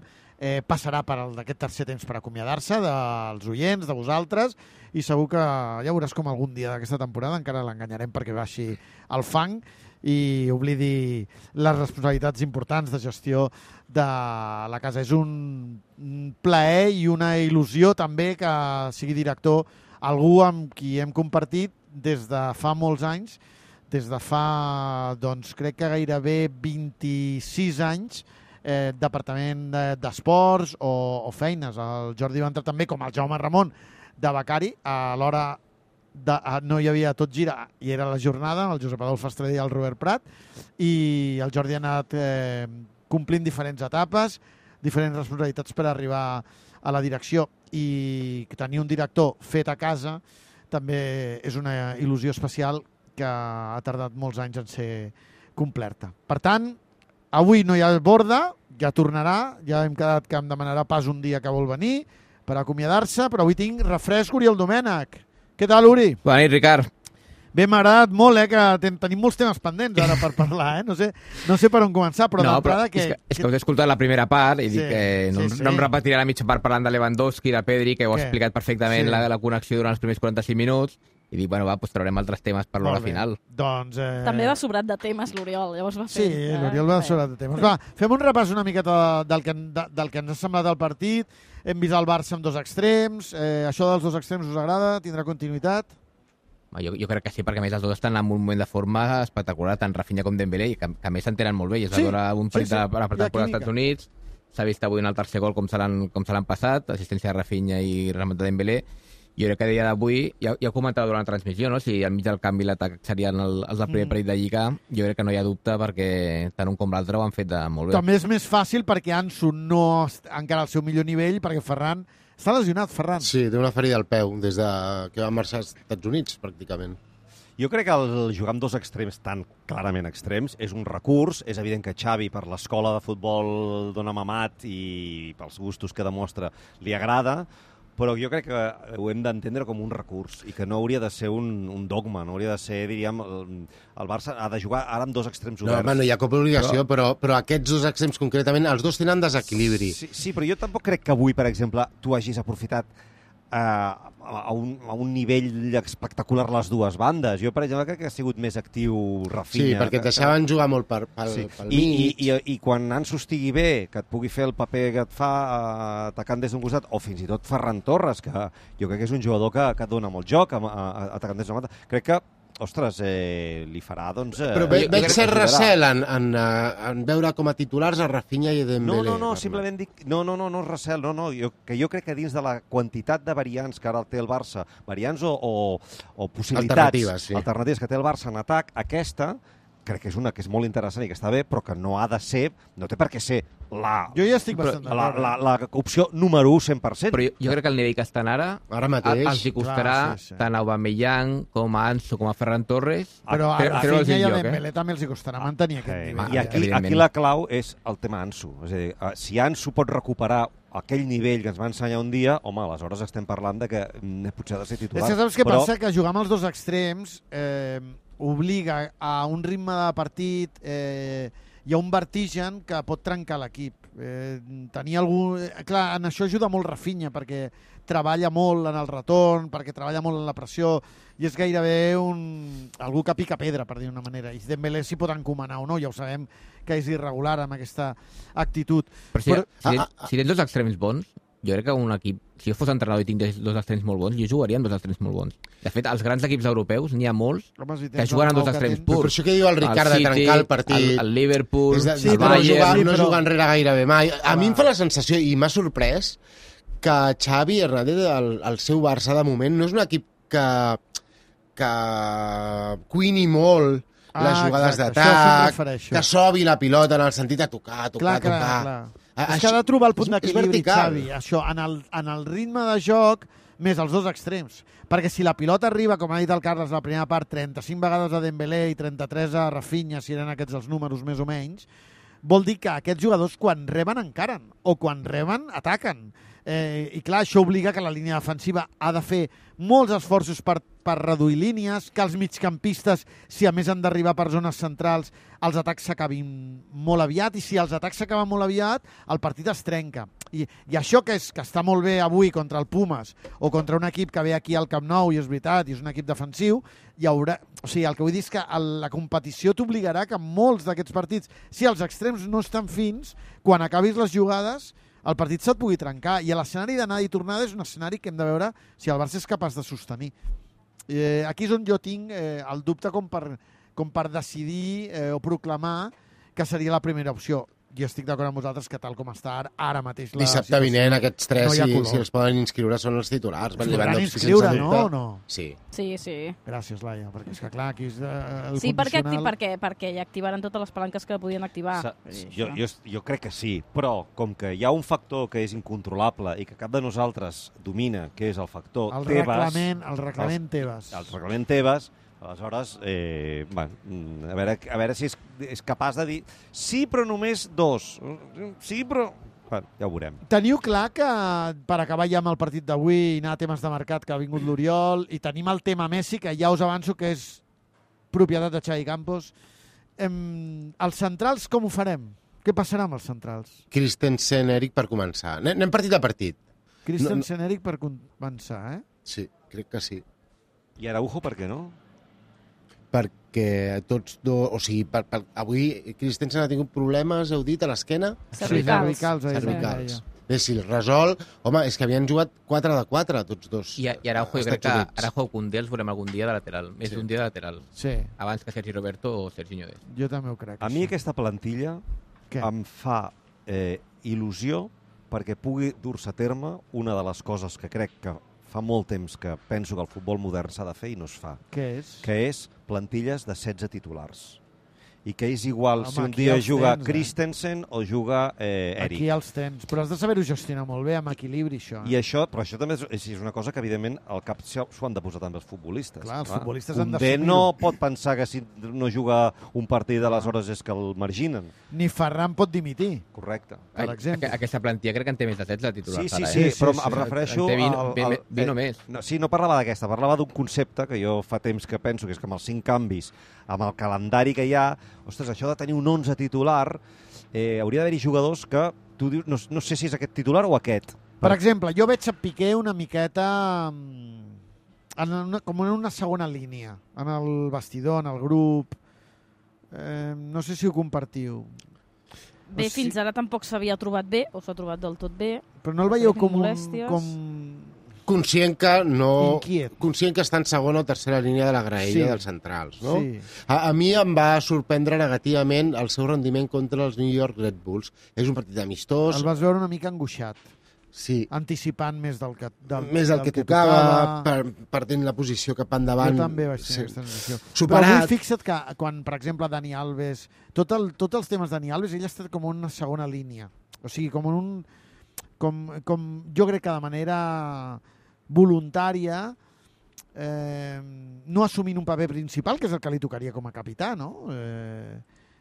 Speaker 6: passarà per d'aquest tercer temps per acomiadar-se dels oients, de vosaltres, i segur que ja veuràs com algun dia d'aquesta temporada encara l'enganyarem perquè baixi el fang i oblidi les responsabilitats importants de gestió de la casa. És un plaer i una il·lusió també que sigui director algú amb qui hem compartit des de fa molts anys, des de fa, doncs, crec que gairebé 26 anys, departament d'esports o feines. El Jordi va entrar també com el Jaume Ramon de becari, a l'hora no hi havia Tot Gira i era la jornada, el Josep Adolf Estrella i el Robert Prat, i el Jordi ha anat complint diferents etapes, diferents responsabilitats per arribar a la direcció. i tenir un director fet a casa també és una il·lusió especial que ha tardat molts anys en ser complerta. Per tant, avui no hi ha Borda, ja tornarà, ja hem quedat que em demanarà pas un dia que vol venir per acomiadar-se, però avui tinc refresc Oriol Domènech. Què tal, Uri?
Speaker 20: Bona nit, Ricard.
Speaker 6: Bé, m'ha agradat molt, que tenim molts temes pendents ara per parlar, No sé per on començar, però d'entrada que...
Speaker 20: És que us he escoltat la primera part i dic que no em repetiré la mitja part parlant de Lewandowski, de Pedri, que ho ha explicat perfectament la connexió durant els primers 45 minuts, i dic, bueno, doncs traurem altres temes per l'hora final.
Speaker 6: Doncs...
Speaker 10: També va sobrat de temes l'Oriol, llavors va fer...
Speaker 6: Sí, l'Oriol va sobrat de temes. Va, fem un repàs una miqueta del que ens ha semblat el partit. Hem vist el Barça amb dos extrems. Això dels dos extrems us agrada? Tindrà continuïtat?
Speaker 20: Jo crec que sí, perquè a més els dos estan en un moment de forma espectacular, tant Rafinha com Dembélé, i que a més s'entenen molt bé. I es va veure un partit de la pretemporada dels Estats Units, s'ha vist avui en el tercer gol com se l'han passat, assistència de Rafinha i remat de Dembélé. Jo crec que a dia d'avui, ja ho comentava durant la transmissió, no? Si al mig del canvi l'atac serien els del primer partit de Lliga, jo crec que no hi ha dubte perquè tant un com l'altre ho han fet molt bé.
Speaker 6: També és més fàcil perquè Ansu no encara al seu millor nivell, perquè Ferran... Està lesionat, Ferran.
Speaker 5: Sí, té una ferida al peu des que va marxar als Estats Units, pràcticament.
Speaker 8: Jo crec que el jugar amb dos extrems tan clarament extrems és un recurs. És evident que Xavi, per l'escola de futbol d'on ha mamat i pels gustos que demostra, li agrada, però jo crec que ho hem d'entendre com un recurs i que no hauria de ser un dogma, no hauria de ser, diríem, el Barça ha de jugar ara amb dos extrems oberts.
Speaker 5: No hi ha cap obligació, però aquests dos extrems concretament, els dos tenen desequilibri.
Speaker 8: Sí, però jo tampoc crec que avui, per exemple, tu hagis aprofitat a un nivell espectacular les dues bandes. Jo, per exemple, crec que ha sigut més actiu Rafinha.
Speaker 5: Sí, perquè et deixaven jugar molt pel mig.
Speaker 8: I quan Ansu estigui bé, que et pugui fer el paper que et fa atacant des d'un costat, o fins i tot Ferran Torres, que jo crec que és un jugador que et dona molt joc atacant des d'una banda. Crec que ostres, li farà, doncs...
Speaker 5: Però veig cert recel en veure com a titulars a Rafinha i Dembélé.
Speaker 8: No, simplement dic... No és recel, jo crec que dins de la quantitat de variants que ara té el Barça, variants o possibilitats alternatives que té el Barça en atac, aquesta crec que és una que és molt interessant i que està bé, però que no ha de ser, no té per què ser
Speaker 6: jo ja estic bastant
Speaker 8: la opció número 1 100%.
Speaker 20: Però jo crec que el nivell que estan ara
Speaker 5: mateix
Speaker 20: els hi costarà tant a Aubameyang com a Ansu com a Ferran Torres.
Speaker 6: Però a Rafinha i a Dembélé també els hi costarà mantenir aquest nivell.
Speaker 8: I aquí la clau és el tema Ansu. És a dir, si Ansu pot recuperar aquell nivell que ens va ensenyar un dia, home, aleshores estem parlant de que potser ha de ser titular.
Speaker 6: És que saps què passa? Que jugar amb els dos extrems obliga a un ritme de partit, hi ha un vertigen que pot trencar l'equip. Clar, en això ajuda molt Rafinha, perquè treballa molt en el retorn, perquè treballa molt en la pressió, i és gairebé algú que pica pedra, per dir d'una manera. I Dembélé s'hi pot encomanar o no, ja ho sabem que és irregular amb aquesta actitud.
Speaker 20: Però si tens dos extrems bons, jo crec que un equip, si jo fos entrenador i tinc dos extrems molt bons, jo jugaria amb dos extrems molt bons. De fet, als grans equips europeus n'hi ha molts que juguen amb dos extrems purs.
Speaker 5: Però això que diu el Ricard de trencar el partit...
Speaker 20: El Liverpool,
Speaker 5: el Bayern... No jugar enrere gairebé mai. A mi em fa la sensació, i m'ha sorprès, que Xavi Hernández, el seu Barça de moment, no és un equip que cuini molt les jugades d'atac, que sobi la pilota en el sentit de tocar.
Speaker 6: És que ha de trobar el punt d'equilibri, Xavi, això, en el ritme de joc, més els dos extrems. Perquè si la pilota arriba, com ha dit el Carles, la primera part, 35 vegades a Dembélé i 33 a Rafinha, si eren aquests els números més o menys, vol dir que aquests jugadors, quan reben, encaren, o quan reben, ataquen. I clar, això obliga que la línia defensiva ha de fer molts esforços per reduir línies, que els migcampistes, si a més han d'arribar per zones centrals, els atacs s'acabin molt aviat, i si els atacs s'acaben molt aviat, el partit es trenca. I això que està molt bé avui contra el Pumas, o contra un equip que ve aquí al Camp Nou, i és veritat, i és un equip defensiu, hi haurà... O sigui, el que vull dir és que la competició t'obligarà que molts d'aquests partits, si els extrems no estan fins, quan acabis les jugades, el partit se't pugui trencar, i l'escenari d'anada i tornada és un escenari que hem de veure si el Barça és capaç de sostenir. Aquí és on jo tinc el dubte com per decidir o proclamar que seria la primera opció. jo estic d'acord amb vosaltres que tal com està ara mateix la
Speaker 5: dissabte vinent aquests tres,
Speaker 6: no
Speaker 5: si els poden inscriure, són els titulars.
Speaker 6: Es podran inscriure, no? O no?
Speaker 5: Sí.
Speaker 6: Gràcies, Laia, perquè és que clar, aquí és el
Speaker 10: sí,
Speaker 6: condicional...
Speaker 10: perquè ja activaran totes les palanques que podien activar.
Speaker 8: Jo crec que sí, però com que hi ha un factor que és incontrolable i que cap de nosaltres domina, que és el factor Tebas...
Speaker 6: El reglament Tebas.
Speaker 8: El reglament Tebas, aleshores, a veure si és capaç de dir sí, però només 2. Sí, però... ja ho veurem.
Speaker 6: Teniu clar que, per acabar ja amb el partit d'avui i anar a temes de mercat, que ha vingut l'Oriol, i tenim el tema Messi, que ja us avanço que és propietat de Xavi Campos. Els centrals, com ho farem? Què passarà amb els centrals?
Speaker 5: Christensen, Eric, per començar. Anem partit a partit.
Speaker 6: Christensen, Eric, per començar, eh?
Speaker 5: Sí, crec que sí.
Speaker 8: I Araujo, per què no?
Speaker 5: Perquè tots dos... O sigui, avui Christensen ha tingut problemes, heu dit, a l'esquena?
Speaker 6: Cervicals.
Speaker 5: Bé, si el resol... Home, és que havien jugat 4 de 4, tots dos.
Speaker 20: I Araujo, jo crec que Araujo o Koundé els veurem algun dia de lateral. Més d'un dia de lateral.
Speaker 6: Sí.
Speaker 20: Abans que Sergi Roberto o Sergi Ñodes.
Speaker 6: Jo també ho crec.
Speaker 8: A mi aquesta plantilla em fa il·lusió perquè pugui dur-se a terme una de les coses que crec que fa molt temps que penso que el futbol modern s'ha de fer i no es fa.
Speaker 6: Què és?
Speaker 8: Que és plantilles de 16 titulars. I que és igual si un dia juga Christensen o juga Eric.
Speaker 6: Aquí els tens, però has de saber-ho gestionar molt bé, amb equilibri, això.
Speaker 8: I això, però això també és una cosa que, evidentment, al cap s'ho han de posar també els futbolistes.
Speaker 6: Clar, els futbolistes han
Speaker 8: d'assumir-ho.
Speaker 6: d'assumir-ho.
Speaker 8: No pot pensar que si no juga un partit, aleshores és que el marginen.
Speaker 6: Ni Ferran pot dimitir.
Speaker 8: Correcte.
Speaker 6: Per exemple.
Speaker 20: Aquesta plantilla crec que en té més de 16 titulars.
Speaker 8: Sí, però em refereixo...
Speaker 20: Vino més.
Speaker 8: Sí, no parlava d'aquesta, parlava d'un concepte que jo fa temps que penso, que és que amb els 5 canvis, amb el calendari que hi ha, ostres, això de tenir un 11 titular, hauria d'haver-hi jugadors que tu dius, no sé si és aquest titular o aquest.
Speaker 6: Per exemple, jo veig a Piqué una miqueta com en una segona línia, en el vestidor, en el grup. No sé si ho compartiu.
Speaker 10: Bé, fins ara tampoc s'havia trobat bé, o s'ha trobat del tot bé.
Speaker 6: Però no el veieu com
Speaker 5: conscient que està en segona o tercera línia de la graella dels centrals, no?
Speaker 6: Sí.
Speaker 5: A mi em va sorprendre negativament el seu rendiment contra els New York Red Bulls. És un partit amistós.
Speaker 6: El vas veure una mica angoixat.
Speaker 5: Sí.
Speaker 6: Anticipant més del que
Speaker 5: tocava, perdent la posició cap endavant.
Speaker 6: Jo també vaig tenir aquesta sensació.
Speaker 5: Superat.
Speaker 6: Però avui fixa't que quan, per exemple, Dani Alves... Tots els temes de Dani Alves, ell ha estat com una segona línia. O sigui, com un... Com jo crec que de manera voluntària, no assumint un paper principal, que és el que li tocaria com a capità, no?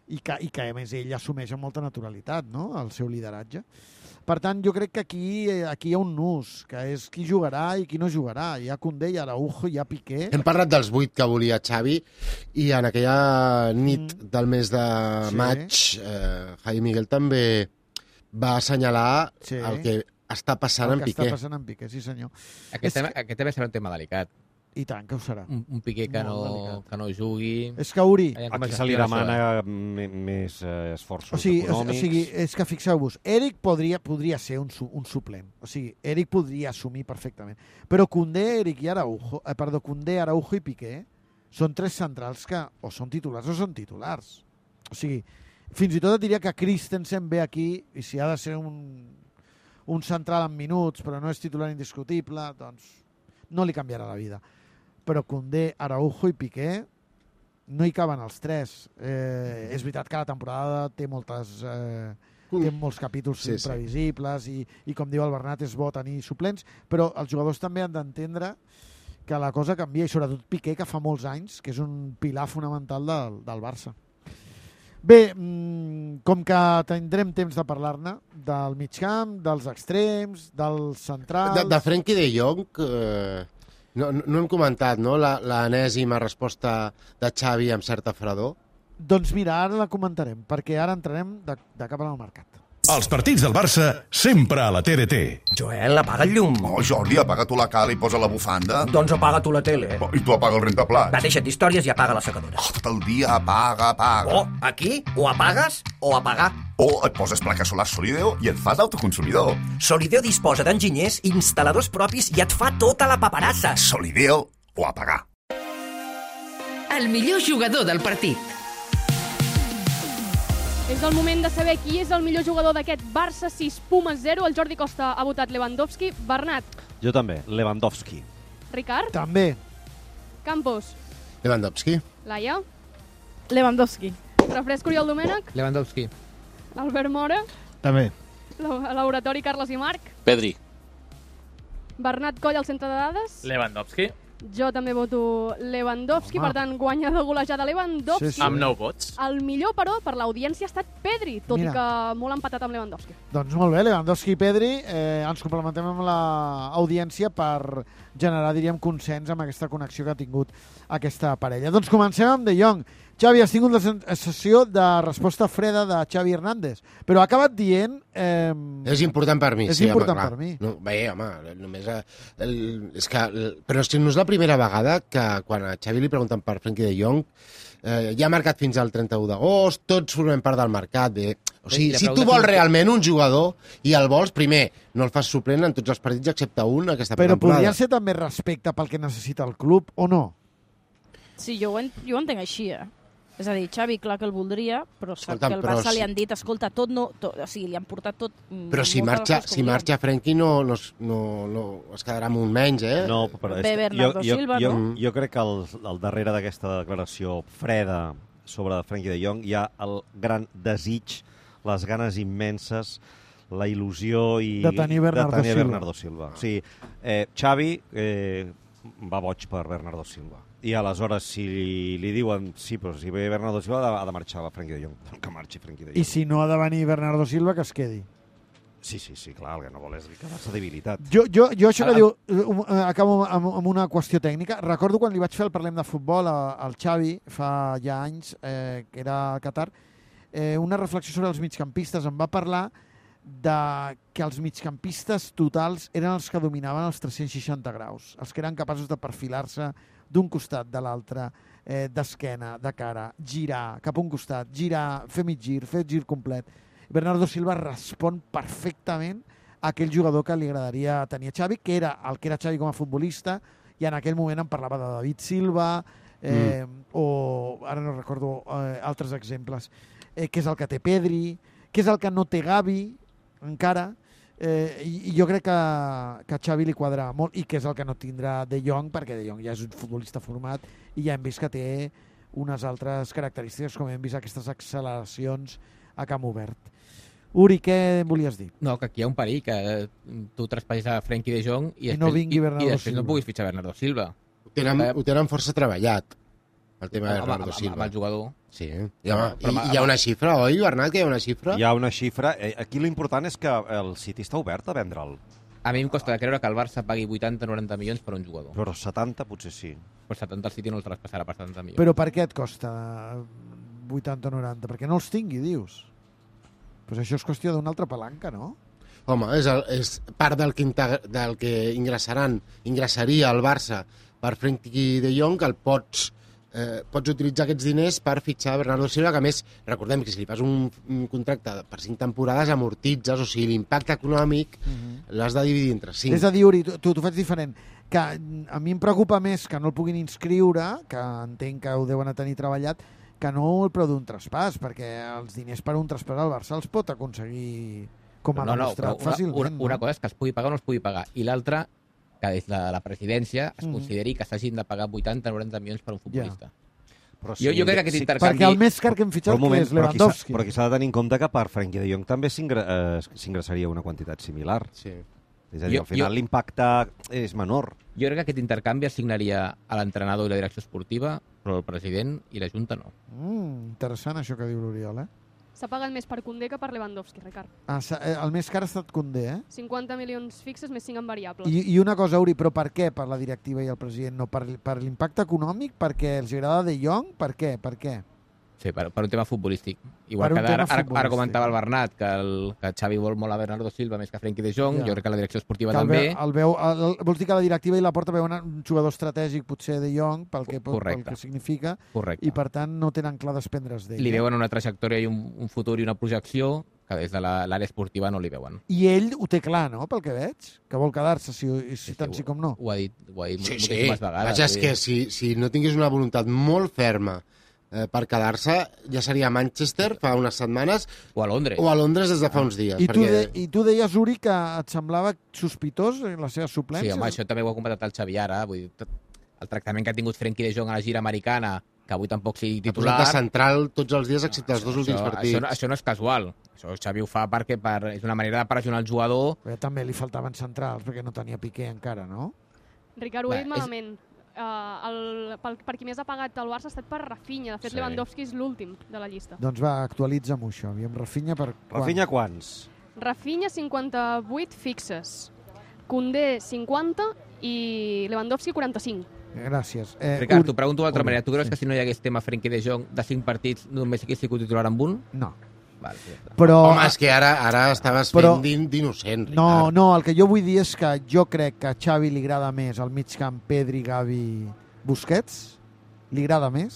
Speaker 6: I que a més ell assumeix amb molta naturalitat, no?, el seu lideratge. Per tant, jo crec que aquí hi ha un nus, que és qui jugarà i qui no jugarà. Hi ha Koundé, hi ha Araujo, hi ha Piqué...
Speaker 5: Hem parlat dels 8 que volia Xavi i en aquella nit del mes de maig Javi Miguel també va assenyalar el que està passant en Piqué.
Speaker 6: El que està passant en Piqué, sí senyor.
Speaker 20: Aquest també serà un tema delicat.
Speaker 6: I tant, que ho serà.
Speaker 20: Un Piqué que no jugui...
Speaker 6: És que Uri...
Speaker 8: Aquí se li demana més esforços econòmics.
Speaker 6: O sigui, és que fixeu-vos, Eric podria ser un suplent. O sigui, Eric podria assumir perfectament. Però Koundé, Araujo i Piqué són 3 centrals que o són titulars o són titulars. O sigui, fins i tot et diria que Christensen ve aquí i si ha de ser un central en minuts però no és titular indiscutible, doncs no li canviarà la vida. Però Koundé, Araujo i Piqué no hi caben els 3. És veritat que la temporada té molts capítols imprevisibles i com diu el Bernat, és bo tenir suplents, però els jugadors també han d'entendre que la cosa canvia, i sobretot Piqué, que fa molts anys que és un pilar fonamental del Barça. Bé, com que tindrem temps de parlar-ne del migcamp, dels extrems, dels centrals...
Speaker 5: De Frenkie de Jong, no hem comentat, no?, l'enèsima resposta de Xavi amb certa fredor.
Speaker 6: Doncs mira, ara la comentarem, perquè ara entrarem de cap al mercat.
Speaker 1: Els partits del Barça sempre a la TDT.
Speaker 21: Joel, apaga el llum.
Speaker 22: Oh, Jordi, apaga tu la cala i posa la bufanda.
Speaker 21: Doncs apaga tu la tele.
Speaker 22: Oh, I tu apaga el rentaplats.
Speaker 21: Va, deixa't històries i apaga la secadora.
Speaker 22: Oh, tot el dia apaga.
Speaker 21: Oh, aquí o apagues o apagar.
Speaker 22: O et poses plaques solars Solideo i et fas autoconsumidor.
Speaker 21: Solideo disposa d'enginyers, instal·ladors propis i et fa tota la paperassa.
Speaker 22: Solideo o apagar.
Speaker 4: El millor jugador del partit.
Speaker 7: És el moment de saber qui és el millor jugador d'aquest Barça 6, Pumas 0. El Jordi Costa ha votat Lewandowski. Bernat.
Speaker 8: Jo també, Lewandowski.
Speaker 7: Ricard.
Speaker 6: També.
Speaker 7: Campos.
Speaker 5: Lewandowski.
Speaker 7: Laia.
Speaker 10: Lewandowski.
Speaker 7: Refresco Oriol Domènech.
Speaker 20: Lewandowski.
Speaker 7: Albert Mora.
Speaker 11: També.
Speaker 7: Laboratori Carles i Marc.
Speaker 2: Pedri.
Speaker 7: Bernat Coll al centre de dades.
Speaker 2: Lewandowski.
Speaker 7: Jo també voto Lewandowski, per tant, guanyador golejada Lewandowski.
Speaker 2: Amb 9 vots.
Speaker 7: El millor, però, per l'audiència ha estat Pedri, tot i
Speaker 6: Mira.
Speaker 7: que molt empatat amb Lewandowski.
Speaker 6: Doncs molt bé, Lewandowski i Pedri. Ens complementem amb l'audiència per generar, diríem, consens amb aquesta connexió que ha tingut aquesta parella. Doncs comencem amb De Jong. Xavi, has tingut la sensació de resposta freda de Xavi Hernández, però ha acabat dient...
Speaker 5: És important per mi.
Speaker 6: És
Speaker 5: sí,
Speaker 6: important
Speaker 5: home,
Speaker 6: per mi.
Speaker 5: No, bé, home, només... és que, però és que no és la primera vegada que quan a Xavi li pregunten per Frenkie de Jong, ja ha marcat fins al 31 d'agost, tots formem part del mercat. O sigui, si tu vols realment un jugador i el vols, primer, no el fas suplent en tots els partits excepte un aquesta
Speaker 6: però
Speaker 5: temporada.
Speaker 6: podria ser també respecte pel que necessita el club, o no?
Speaker 10: Sí, jo ho entenc així, És a dir, Xavi, clar que el voldria, però sap
Speaker 5: Escolta,
Speaker 10: que el Barça li han dit, escolta, o sigui, li han portat tot...
Speaker 5: Però si marxa Frenkie no es quedarà amb un menys,
Speaker 8: No, però
Speaker 10: Bé, Bernardo Silva, no?
Speaker 8: Jo crec que al darrere d'aquesta declaració freda sobre Frenkie de Jong hi ha el gran desig, les ganes immenses, la il·lusió
Speaker 6: de tenir
Speaker 8: Bernardo Silva. O sigui, Xavi va boig per Bernardo Silva. I aleshores, si li diuen sí, però si ve Bernardo Silva ha de marxar la Frenkie de Jong. Que marxi Frenkie de Jong.
Speaker 6: I si no ha de venir Bernardo Silva, que es quedi.
Speaker 8: Sí, clar, el que no vol és quedar-se debilitat.
Speaker 6: Jo això que diu, acabo amb una qüestió tècnica. Recordo quan li vaig fer el Parlem de Futbol al Xavi, fa ja anys, que era a Qatar, una reflexió sobre els migcampistes. Em va parlar de que els migcampistes totals eren els que dominaven els 360 graus, els que eren capaços de perfilar-se d'un costat, de l'altre, d'esquena, de cara, girar cap a un costat, girar, fer mig gir, fer gir complet. Bernardo Silva respon perfectament a aquell jugador que li agradaria tenir a Xavi, que era el que era Xavi com a futbolista, i en aquell moment em parlava de David Silva, o ara no recordo altres exemples, que és el que té Pedri, que és el que no té Gavi encara, i jo crec que a Xavi li quadrava molt, i que és el que no tindrà De Jong, perquè De Jong ja és un futbolista format i ja hem vist que té unes altres característiques, com hem vist aquestes acceleracions a camp obert. Uri, què volies dir?
Speaker 20: No, que aquí hi ha un perill, que tu traspassis a Frenkie de Jong i
Speaker 6: no vingui Bernardo
Speaker 20: després no puguis fitxar Bernardo Silva.
Speaker 5: Ho tenen força treballat, el tema de Bernardo Silva.
Speaker 20: Amb el jugador.
Speaker 5: Sí, hi ha una xifra, oi, Bernat, que hi ha una xifra?
Speaker 8: Hi ha una xifra. Aquí l'important és que el City està obert a vendre'l.
Speaker 20: A mi em costa de creure que el Barça pagui 80-90 milions per un jugador.
Speaker 8: Però 70 potser sí.
Speaker 20: Però 70 el City no el traspassarà per 70 milions.
Speaker 6: Però per què et costa 80-90? Perquè no els tingui, dius? Pues això és qüestió d'una altra palanca, no?
Speaker 5: Home, és part del que ingressaria el Barça per Frenkie de Jong, que el pots utilitzar aquests diners per fitxar Bernardo Silva, que a més, recordem que si li fas un contracte per 5 temporades amortitzes, o sigui, l'impacte econòmic l'has de dividir entre 5.
Speaker 6: És a dir, Uri, t'ho faig diferent, que a mi em preocupa més que no el puguin inscriure, que entenc que ho deuen tenir treballat, que no el preu d'un traspàs, perquè els diners per un traspàs al Barça els pot aconseguir com a demostrat fàcilment.
Speaker 20: Una cosa és que es pugui pagar o no es pugui pagar, i l'altra, que des de la presidència es consideri que s'hagin de pagar 80-90 milions per un futbolista.
Speaker 8: Sí,
Speaker 20: jo crec que aquest intercanvi...
Speaker 6: Perquè el més car que hem fitxat que és Lewandowski.
Speaker 8: Però aquí s'ha de tenir en compte que per Frenkie de Jong també s'ingressaria una quantitat similar.
Speaker 5: Sí.
Speaker 8: És a dir, al final l'impacte és menor.
Speaker 20: Jo crec que aquest intercanvi assignaria a l'entrenador i la direcció esportiva, però el president i la Junta no.
Speaker 6: Interessant això que diu l'Oriol,
Speaker 7: S'ha pagat més per Koundé que per Lewandowski, Ricard.
Speaker 6: El més car ha estat Koundé,
Speaker 7: 50 milions fixes més 5 en variables.
Speaker 6: I una cosa, Uri, però per què per la directiva i el president? No, per l'impacte econòmic? Perquè els agrada De Jong? Per què?
Speaker 20: Sí, per un tema futbolístic. Igual que ara comentava el Bernat, que Xavi vol molt a Bernardo Silva més que a Frenkie de Jong, jo crec que la direcció esportiva també...
Speaker 6: Vols dir que la directiva i la porta veuen un jugador estratègic, potser De Jong, pel que significa, i per tant no tenen clar desprendre's d'ell.
Speaker 20: Li veuen una trajectòria i un futur i una projecció que des de l'àrea esportiva no li veuen.
Speaker 6: I ell ho té clar, no?, pel que veig? Que vol quedar-se, tant sí com no.
Speaker 20: Ho ha dit
Speaker 5: moltíssimes
Speaker 20: vegades.
Speaker 5: Vaja, és que si no tingués una voluntat molt ferma per quedar-se, ja seria a Manchester fa unes setmanes
Speaker 20: o a Londres
Speaker 5: des de fa uns dies.
Speaker 6: I tu deies, Uri, que et semblava sospitós la seva suplència?
Speaker 20: Sí, home, això també ho ha comentat el Xavi ara. Vull dir, el tractament que ha tingut Frenkie de Jong a la gira americana, que avui tampoc sigui titular...
Speaker 5: Ha posat de central tots els dies, excepte els dos últims partits.
Speaker 20: Això no és casual. Això Xavi ho fa perquè és una manera de pressionar el jugador.
Speaker 6: Però també li faltaven centrals, perquè no tenia Piqué encara, no?
Speaker 7: Ricard, ho he dit malament. Per qui més ha pagat el Barça ha estat per Rafinha. De fet, Lewandowski és l'últim de la llista.
Speaker 6: Doncs va, actualitza'm això. Aviam, Rafinha per
Speaker 8: Rafinha quants?
Speaker 7: Rafinha 58 fixes. Koundé 50 i Lewandowski 45.
Speaker 6: Gràcies.
Speaker 20: Ricard, t'ho pregunto d'altra manera. Tu creus que si no hi hagués tema Frenkie de Jong de 5 partits només hagués sigut titular amb un?
Speaker 6: No.
Speaker 20: Vale, sí,
Speaker 6: però,
Speaker 5: home, és que ara estaves fent d'innocent, Ricard.
Speaker 6: No, el que jo vull dir és que jo crec que a Xavi li agrada més el mig camp Pedri, Gavi, Busquets, li agrada més,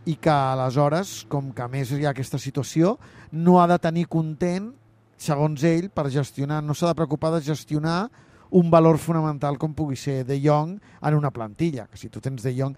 Speaker 6: i que aleshores, com que a més hi ha aquesta situació, no ha de tenir content, segons ell, per gestionar, no s'ha de preocupar de gestionar un valor fonamental com pugui ser De Jong en una plantilla, que si tu tens De Jong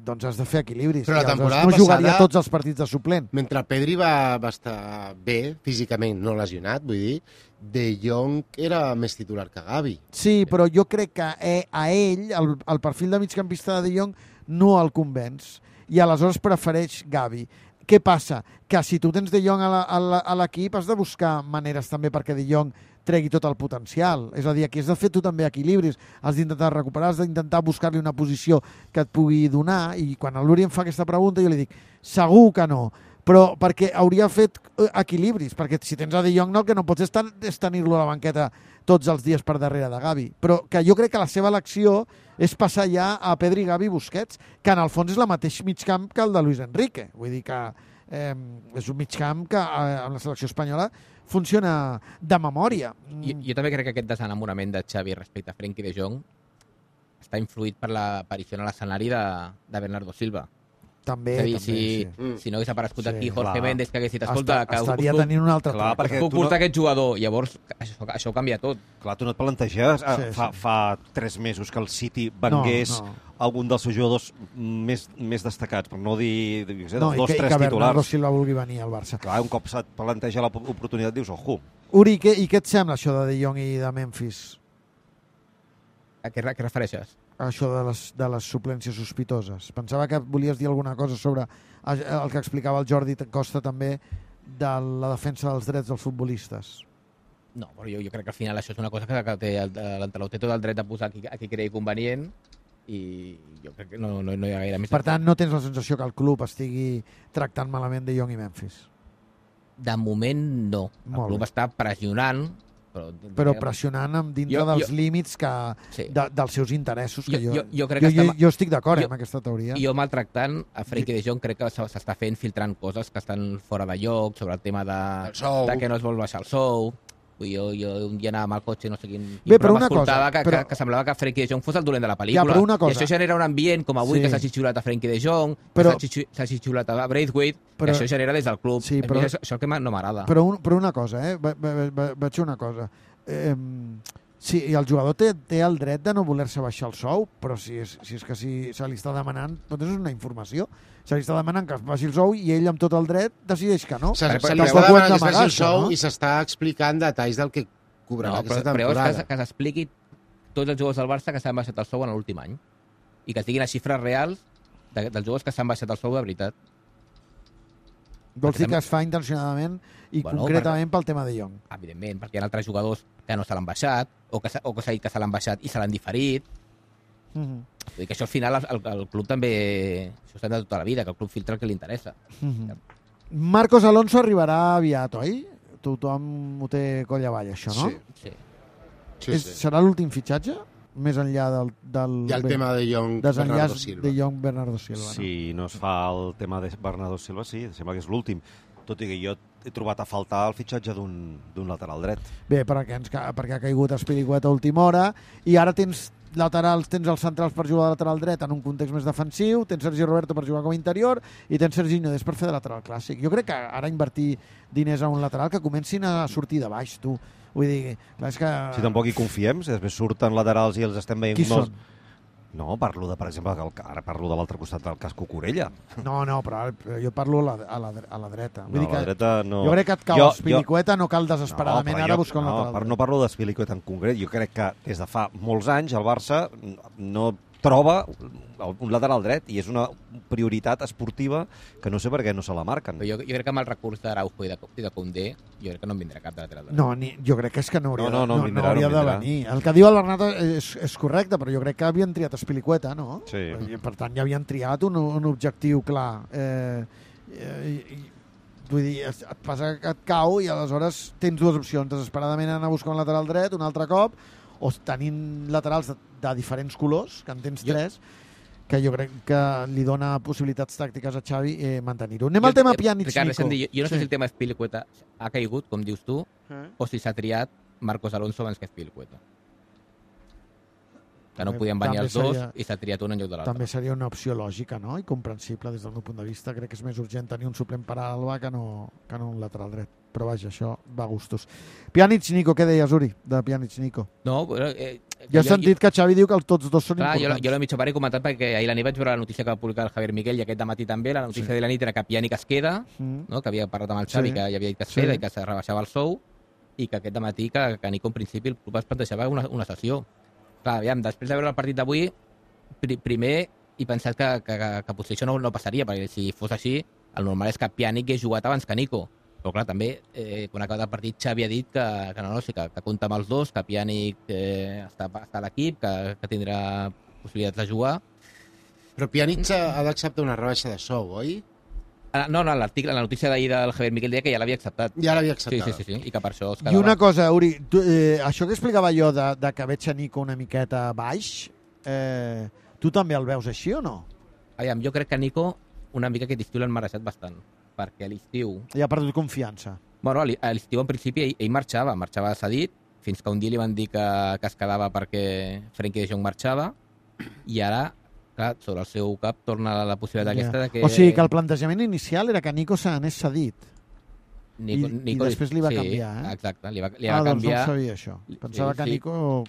Speaker 6: doncs has de fer equilibris.
Speaker 5: Però la temporada
Speaker 6: no jugaria
Speaker 5: passada,
Speaker 6: tots els partits de suplent.
Speaker 5: Mentre Pedri va estar bé, físicament, no lesionat, vull dir, De Jong era més titular que Gavi.
Speaker 6: Sí, però jo crec que a ell, el perfil de migcampista de De Jong, no el convenç. I aleshores prefereix Gavi. Què passa? Que si tu tens De Jong a l'equip has de buscar maneres també perquè De Jong tregui tot el potencial. És a dir, aquí has de fer tu també equilibris, has d'intentar recuperar, has d'intentar buscar-li una posició que et pugui donar, i quan l'Uri em fa aquesta pregunta jo li dic, segur que no, però perquè hauria fet equilibris, perquè si tens a De Jong el que no pots és tenir-lo a la banqueta tots els dies per darrere de Gavi, però que jo crec que la seva elecció és passar ja a Pedri, Gavi i Busquets, que en el fons és el mateix migcamp que el de Luis Enrique, vull dir que és un migcamp que amb la selecció espanyola funciona de memòria.
Speaker 20: Jo també crec que aquest desenamorament de Xavi respecte a Frenkie de Jong està influït per l'aparició en l'escenari de Bernardo Silva.
Speaker 6: També,
Speaker 20: si no hagués aparegut aquí Jorge Méndez, que hagués dit, escolta,
Speaker 6: estaria tenint un altre
Speaker 20: puc portar aquest jugador, llavors això ho canvia tot.
Speaker 8: Clar, tu no et planteges fa 3 mesos que el City vengués algun dels seus jugadors més destacats, per no dir dels 2-3 titulars.
Speaker 6: I que Bernardo Silva vulgui venir al Barça.
Speaker 8: Clar, un cop se't planteja l'oportunitat dius, ojo.
Speaker 6: Uri, i què et sembla això de Jong i de Memphis?
Speaker 20: A què refereixes?
Speaker 6: Això de les suplències sospitoses. Pensava que volies dir alguna cosa sobre el que explicava el Jordi Costa també de la defensa dels drets dels futbolistes.
Speaker 20: No, però jo crec que al final això és una cosa que l'entrenador té tot el dret de posar a qui cregui convenient, i jo crec que no hi ha gaire més.
Speaker 6: Per tant, no tens la sensació que el club estigui tractant malament De Jong i Memphis?
Speaker 20: De moment no. El club està pressionant,
Speaker 6: però pressionant dintre dels límits dels seus interessos, que jo estic d'acord amb aquesta teoria.
Speaker 20: Jo maltractant a Frenkie de Jong crec que s'està fent filtrant coses que estan fora de lloc, sobre el tema de que no es vol baixar el sou. Jo un dia anava amb el cotxe, no sé quin programa escoltava, que semblava que Frenkie de Jong fos el dolent de la pel·lícula, i això genera un ambient com avui, que s'ha xitxulat a Frenkie de Jong, s'ha xitxulat a Braithwaite, i això genera des del club. Això que no m'agrada.
Speaker 6: Però una cosa, vaig dir una cosa. Sí, i el jugador té el dret de no voler-se baixar el sou, però si se li està demanant, doncs és una informació. Se li està demanant que es baixi el sou i ell, amb tot el dret, decideix que no.
Speaker 5: Se li està demanant que es baixi el sou i s'està explicant detalls del que cobrarà aquesta temporada.
Speaker 20: Però que s'expliqui tots els jugadors del Barça que s'han baixat el sou en l'últim any i que es diguin les xifres reals dels jugadors que s'han baixat el sou de veritat.
Speaker 6: Vols dir que es fa intencionadament i concretament pel tema de Jong?
Speaker 20: Evidentment, perquè hi ha altres jugadors que no se l'han baixat o que s'ha dit que se l'han baixat i se l'han diferit. Vull dir que això al final el club també... Això està de tota la vida, que el club filtra el que li interessa.
Speaker 6: Marcos Alonso arribarà aviat, oi? Tothom ho té coll avall, això, no?
Speaker 20: Sí.
Speaker 6: Serà l'últim fitxatge? Més enllà del...
Speaker 5: I el tema de Jong-Bernardo Silva.
Speaker 6: De Jong-Bernardo Silva.
Speaker 8: Si no es fa el tema de Bernardo Silva, sí, sembla que és l'últim. Tot i que jo he trobat a faltar el fitxatge d'un lateral dret.
Speaker 6: Bé, perquè ha caigut Espilicueta a última hora, i ara tens laterals, tens els centrals per jugar de lateral dret en un context més defensiu, tens Sergi Roberto per jugar com a interior i tens Serginho Dest per fer de lateral clàssic. Jo crec que ara invertir diners a un lateral que comencin a sortir de baix, tu. Vull dir, clar, és que...
Speaker 8: Si tampoc hi confiem, si després surten laterals i els estem veient...
Speaker 6: Qui són?
Speaker 8: No, parlo de, per exemple, ara parlo de l'altre costat del cas Cucurella.
Speaker 6: No, però jo parlo a la dreta. Vull dir
Speaker 8: a la dreta no.
Speaker 6: Jo crec que et cau Azpilicueta, no cal desesperadament ara buscar un lateral dret.
Speaker 8: No parlo d'Azpilicueta en concret. Jo crec que des de fa molts anys el Barça no troba un lateral dret i és una prioritat esportiva que no sé per què no se la marquen.
Speaker 20: Però jo crec que amb el recurs d'Araujo i de Koundé jo crec que no en vindrà cap de lateral dret.
Speaker 6: No, jo crec que és que no hauria de venir. El que diu el Bernat és correcte, però jo crec que havien triat Azpilicueta, no?
Speaker 8: Sí.
Speaker 6: Per tant, ja havien triat un objectiu clar. Vull dir, et passa que et cau i aleshores tens dues opcions, desesperadament anar a buscar un lateral dret un altre cop, o tenint laterals de diferents colors, que en tens tres, que jo crec que li dona possibilitats tàctiques a Xavi mantenir-ho. Anem al tema Pjanic-Nico.
Speaker 20: Jo no sé si el tema Azpilicueta ha caigut, com dius tu, o si s'ha triat Marcos Alonso abans que Azpilicueta. Que no podien venir els dos i s'ha triat un en lloc de l'altre.
Speaker 6: També seria una opció lògica, no? I comprensible des del meu punt de vista. Crec que és més urgent tenir un suplent per a Alba que no un lateral dret. Però vaja, això va a gustos. Pjanic-Nico, què deies, Uri, de Pjanic-Nico?
Speaker 20: No, però...
Speaker 6: Jo he sentit que Xavi diu que tots dos són importants.
Speaker 20: Jo l'he mig he comentat perquè ahir a la nit vaig veure la notícia que va publicar el Javier Miquel i aquest dematí també. La notícia de la nit era que Pjanic es queda, que havia parlat amb el Xavi, que ja havia dit que es queda i que se rebaixava el sou, i que aquest dematí que Nico en principi el club es plantejava una sessió. Clar, aviam, després de veure el partit d'avui, primer he pensat que potser això no passaria, perquè si fos així, el normal és que Pjanic hagués jugat abans que Nico. Però clar, també, quan ha acabat el partit, Xavi ha dit que compta amb els dos, que Pjanic està a l'equip, que tindrà possibilitats de jugar.
Speaker 5: Però Pjanic ha d'acceptar una rebaixa de sou, oi?
Speaker 20: No, l'article, la notícia d'ahir del Javier Miquel deia que ja l'havia acceptat.
Speaker 5: Ja l'havia acceptat.
Speaker 20: Sí, i que per això es quedava.
Speaker 6: I una cosa, Uri, això que explicava jo de que veig a Nico una miqueta baix, tu també el veus així o no?
Speaker 20: Aviam, jo crec que Nico una mica aquest estiu l'han marejat bastant, perquè a l'estiu...
Speaker 6: Ja ha perdut confiança.
Speaker 20: Bueno, a l'estiu en principi ell marxava cedit, fins que un dia li van dir que es quedava perquè Frenkie de Jong marxava, i ara... Clar, sobre el seu cap torna la possibilitat aquesta de que...
Speaker 6: O sigui, que el plantejament inicial era que Nico s'anés cedit.
Speaker 20: Nico,
Speaker 6: I després li va canviar, eh?
Speaker 20: Exacte, li va
Speaker 6: canviar. Doncs no sabia això. Pensava que Nico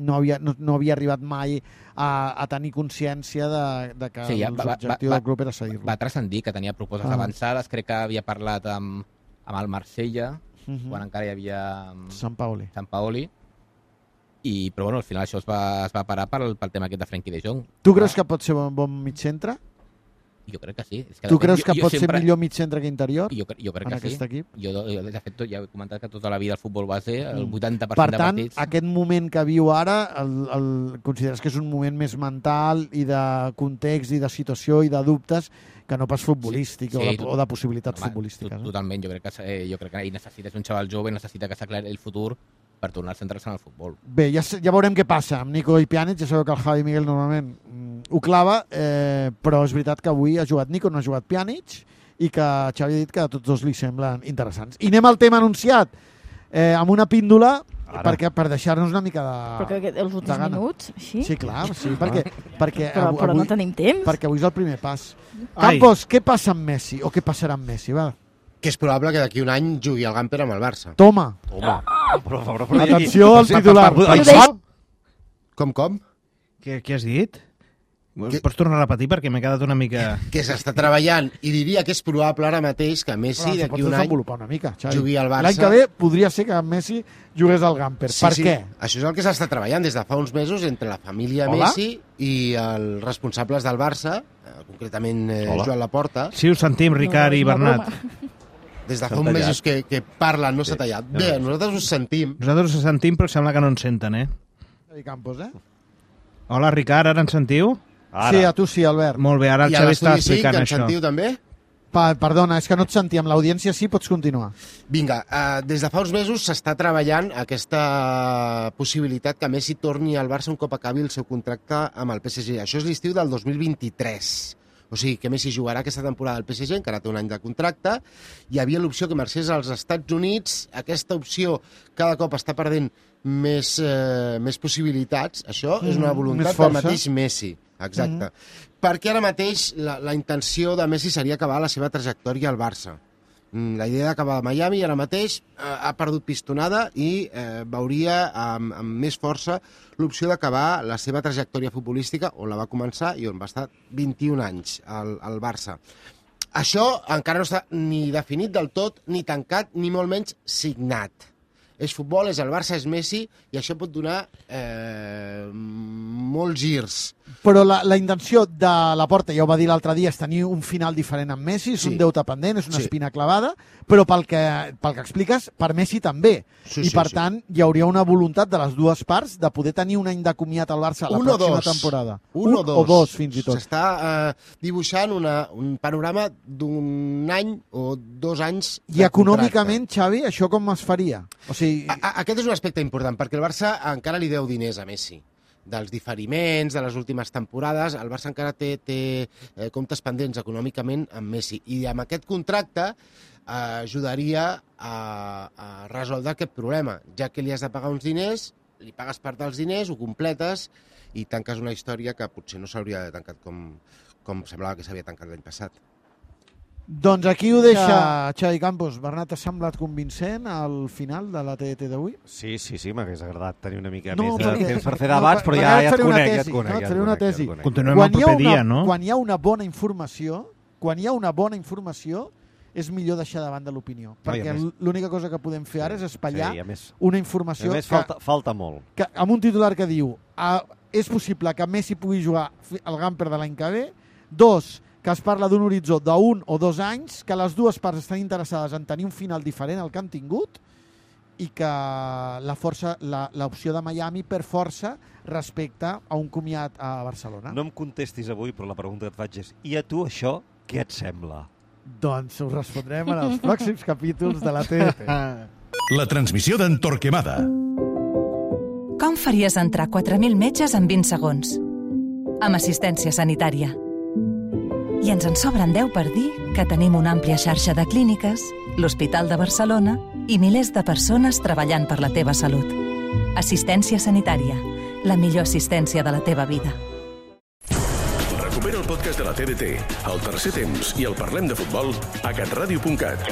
Speaker 6: no havia arribat mai a tenir consciència de que l'objectiu del club era cedir-lo.
Speaker 20: Va transcendir, que tenia propostes avançades, crec que havia parlat amb el Marsella, quan encara hi havia...
Speaker 6: Sant
Speaker 20: Paoli. Però bueno, al final això es va parar pel tema aquest de Frenkie de Jong.
Speaker 6: Tu creus que pot ser bon mig centre?
Speaker 20: Jo crec que sí.
Speaker 6: Tu creus que pot ser millor mig centre que interior?
Speaker 20: Jo crec que sí.
Speaker 6: Equip?
Speaker 20: Jo, de fet, ja he comentat que tota la vida el futbol base, el 80%
Speaker 6: de partits...
Speaker 20: Per tant,
Speaker 6: aquest moment que viu ara, consideres que és un moment més mental i de context i de situació i de dubtes que no pas futbolístic o de possibilitats futbolístiques.
Speaker 20: Totalment, jo crec que ell necessita, és un xaval jove, necessita que s'aclari el futur per tornar a centrar-se en el futbol.
Speaker 6: Bé, ja veurem què passa amb Nico i Pjanic. Ja sabeu que el Javi Miguel normalment ho clava, però és veritat que avui ha jugat Nico, no ha jugat Pjanic, i que Xavi ha dit que a tots dos li semblen interessants. I anem al tema anunciat, amb una píndola, per deixar-nos una mica de...
Speaker 10: Perquè els últims minuts, així?
Speaker 6: Sí, clar, sí, perquè
Speaker 10: però no tenim temps.
Speaker 6: Perquè avui és el primer pas. Campos, què passa amb Messi? O què passarà amb Messi, va?
Speaker 5: Que és probable que d'aquí un any jugui el Gamper amb el Barça.
Speaker 6: Toma. Atenció al titular. Com?
Speaker 11: Què has dit? Pots tornar a repetir perquè m'he quedat una mica...
Speaker 5: Que s'està treballant i diria que és probable ara mateix que Messi d'aquí un any jugui al Barça.
Speaker 6: L'any que ve podria ser que Messi jugués al Gamper. Per què?
Speaker 5: Això és el que s'està treballant des de fa uns mesos entre la família Messi i els responsables del Barça, concretament Joan Laporta.
Speaker 11: Sí, us sentim, Ricard i Bernat.
Speaker 5: Des de fa uns mesos que parlen, no s'ha tallat. Bé, nosaltres us sentim.
Speaker 11: Nosaltres us sentim, però sembla que no ens senten,
Speaker 6: Campos,
Speaker 11: Hola, Ricard, ara ens sentiu?
Speaker 6: Ara. Sí, a tu sí, Albert.
Speaker 11: Molt bé, ara el Xavi està explicant
Speaker 5: això. I a l'estudi sí, que ens
Speaker 11: sentiu
Speaker 5: també?
Speaker 6: Perdona, és que no et sentíem. L'audiència sí, pots continuar.
Speaker 5: Vinga, des de fa uns mesos s'està treballant aquesta possibilitat que Messi torni al Barça un cop acabi el seu contracte amb el PSG. Això és l'estiu del 2023. O sigui, que Messi jugarà aquesta temporada al PSG, encara té un any de contracte. Hi havia l'opció que marxés als Estats Units. Aquesta opció cada cop està perdent més possibilitats. Això és una voluntat del mateix Messi. Exacte. Perquè ara mateix la intenció de Messi seria acabar la seva trajectòria al Barça. La idea d'acabar a Miami ara mateix ha perdut pistonada i veuria amb més força l'opció d'acabar la seva trajectòria futbolística on la va començar i on va estar 21 anys al Barça. Això encara no està ni definit del tot, ni tancat, ni molt menys signat. És futbol, és el Barça, és Messi, i això pot donar molts girs.
Speaker 6: Però la intenció de Laporta, ja ho va dir l'altre dia, és tenir un final diferent amb Messi, és un deute pendent, és una espina clavada, però pel que expliques, per Messi també. I per tant, hi hauria una voluntat de les dues parts de poder tenir un any de comiat al Barça la pròxima temporada.
Speaker 5: Un o
Speaker 6: dos, fins i tot.
Speaker 5: S'està dibuixant un panorama d'un any o 2 anys de
Speaker 6: I econòmicament, Xavi, això com es faria? O sigui...
Speaker 5: Aquest és un aspecte important, perquè el Barça encara li deu diners a Messi. Dels diferiments, de les últimes temporades, el Barça encara té comptes pendents econòmicament amb Messi. I amb aquest contracte ajudaria a resoldre aquest problema, ja que li has de pagar uns diners, li pagues part dels diners, ho completes i tanques una història que potser no s'hauria de tancat com semblava que s'havia tancat l'any passat.
Speaker 6: Doncs aquí ho deixa Xavi Campos. Bernat, t'ha semblat convincent al final de la TDT d'avui?
Speaker 8: Sí, m'hagués agradat tenir una mica més de temps per fer debats, però ja et conec.
Speaker 6: Et faré una tesi.
Speaker 11: Continuem el proper dia, no?
Speaker 6: Quan hi ha una bona informació, és millor deixar davant de l'opinió. Perquè l'única cosa que podem fer ara és espatllar una informació
Speaker 8: falta molt.
Speaker 6: Amb un titular que diu és possible que Messi pugui jugar al Gamper de l'any que ve, 2, que es parla d'un horitzó d'1 o 2 anys, que les dues parts estan interessades en tenir un final diferent al que han tingut i que l'opció de Miami per força respecte a un comiat a Barcelona.
Speaker 8: No em contestis avui, però la pregunta que et faig és: i a tu això què et sembla?
Speaker 6: Doncs ho respondrem en els pròxims capítols de la TDT.
Speaker 1: La transmissió d'en Torquemada.
Speaker 15: Com faries entrar 4.000 metges en 20 segons? Amb assistència sanitària. I ens en sobren 10 per dir que tenim una àmplia xarxa de clíniques, l'Hospital de Barcelona i milers de persones treballant per la teva salut. Assistència sanitària, la millor assistència de la teva vida.
Speaker 1: Recupera el podcast de la TDT, el tercer temps i el Parlem de Futbol a catradio.cat,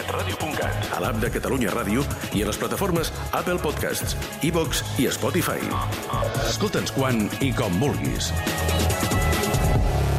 Speaker 1: a l'app de Catalunya Ràdio i a les plataformes Apple Podcasts, iVoox i Spotify. Escolta'ns quan i com vulguis.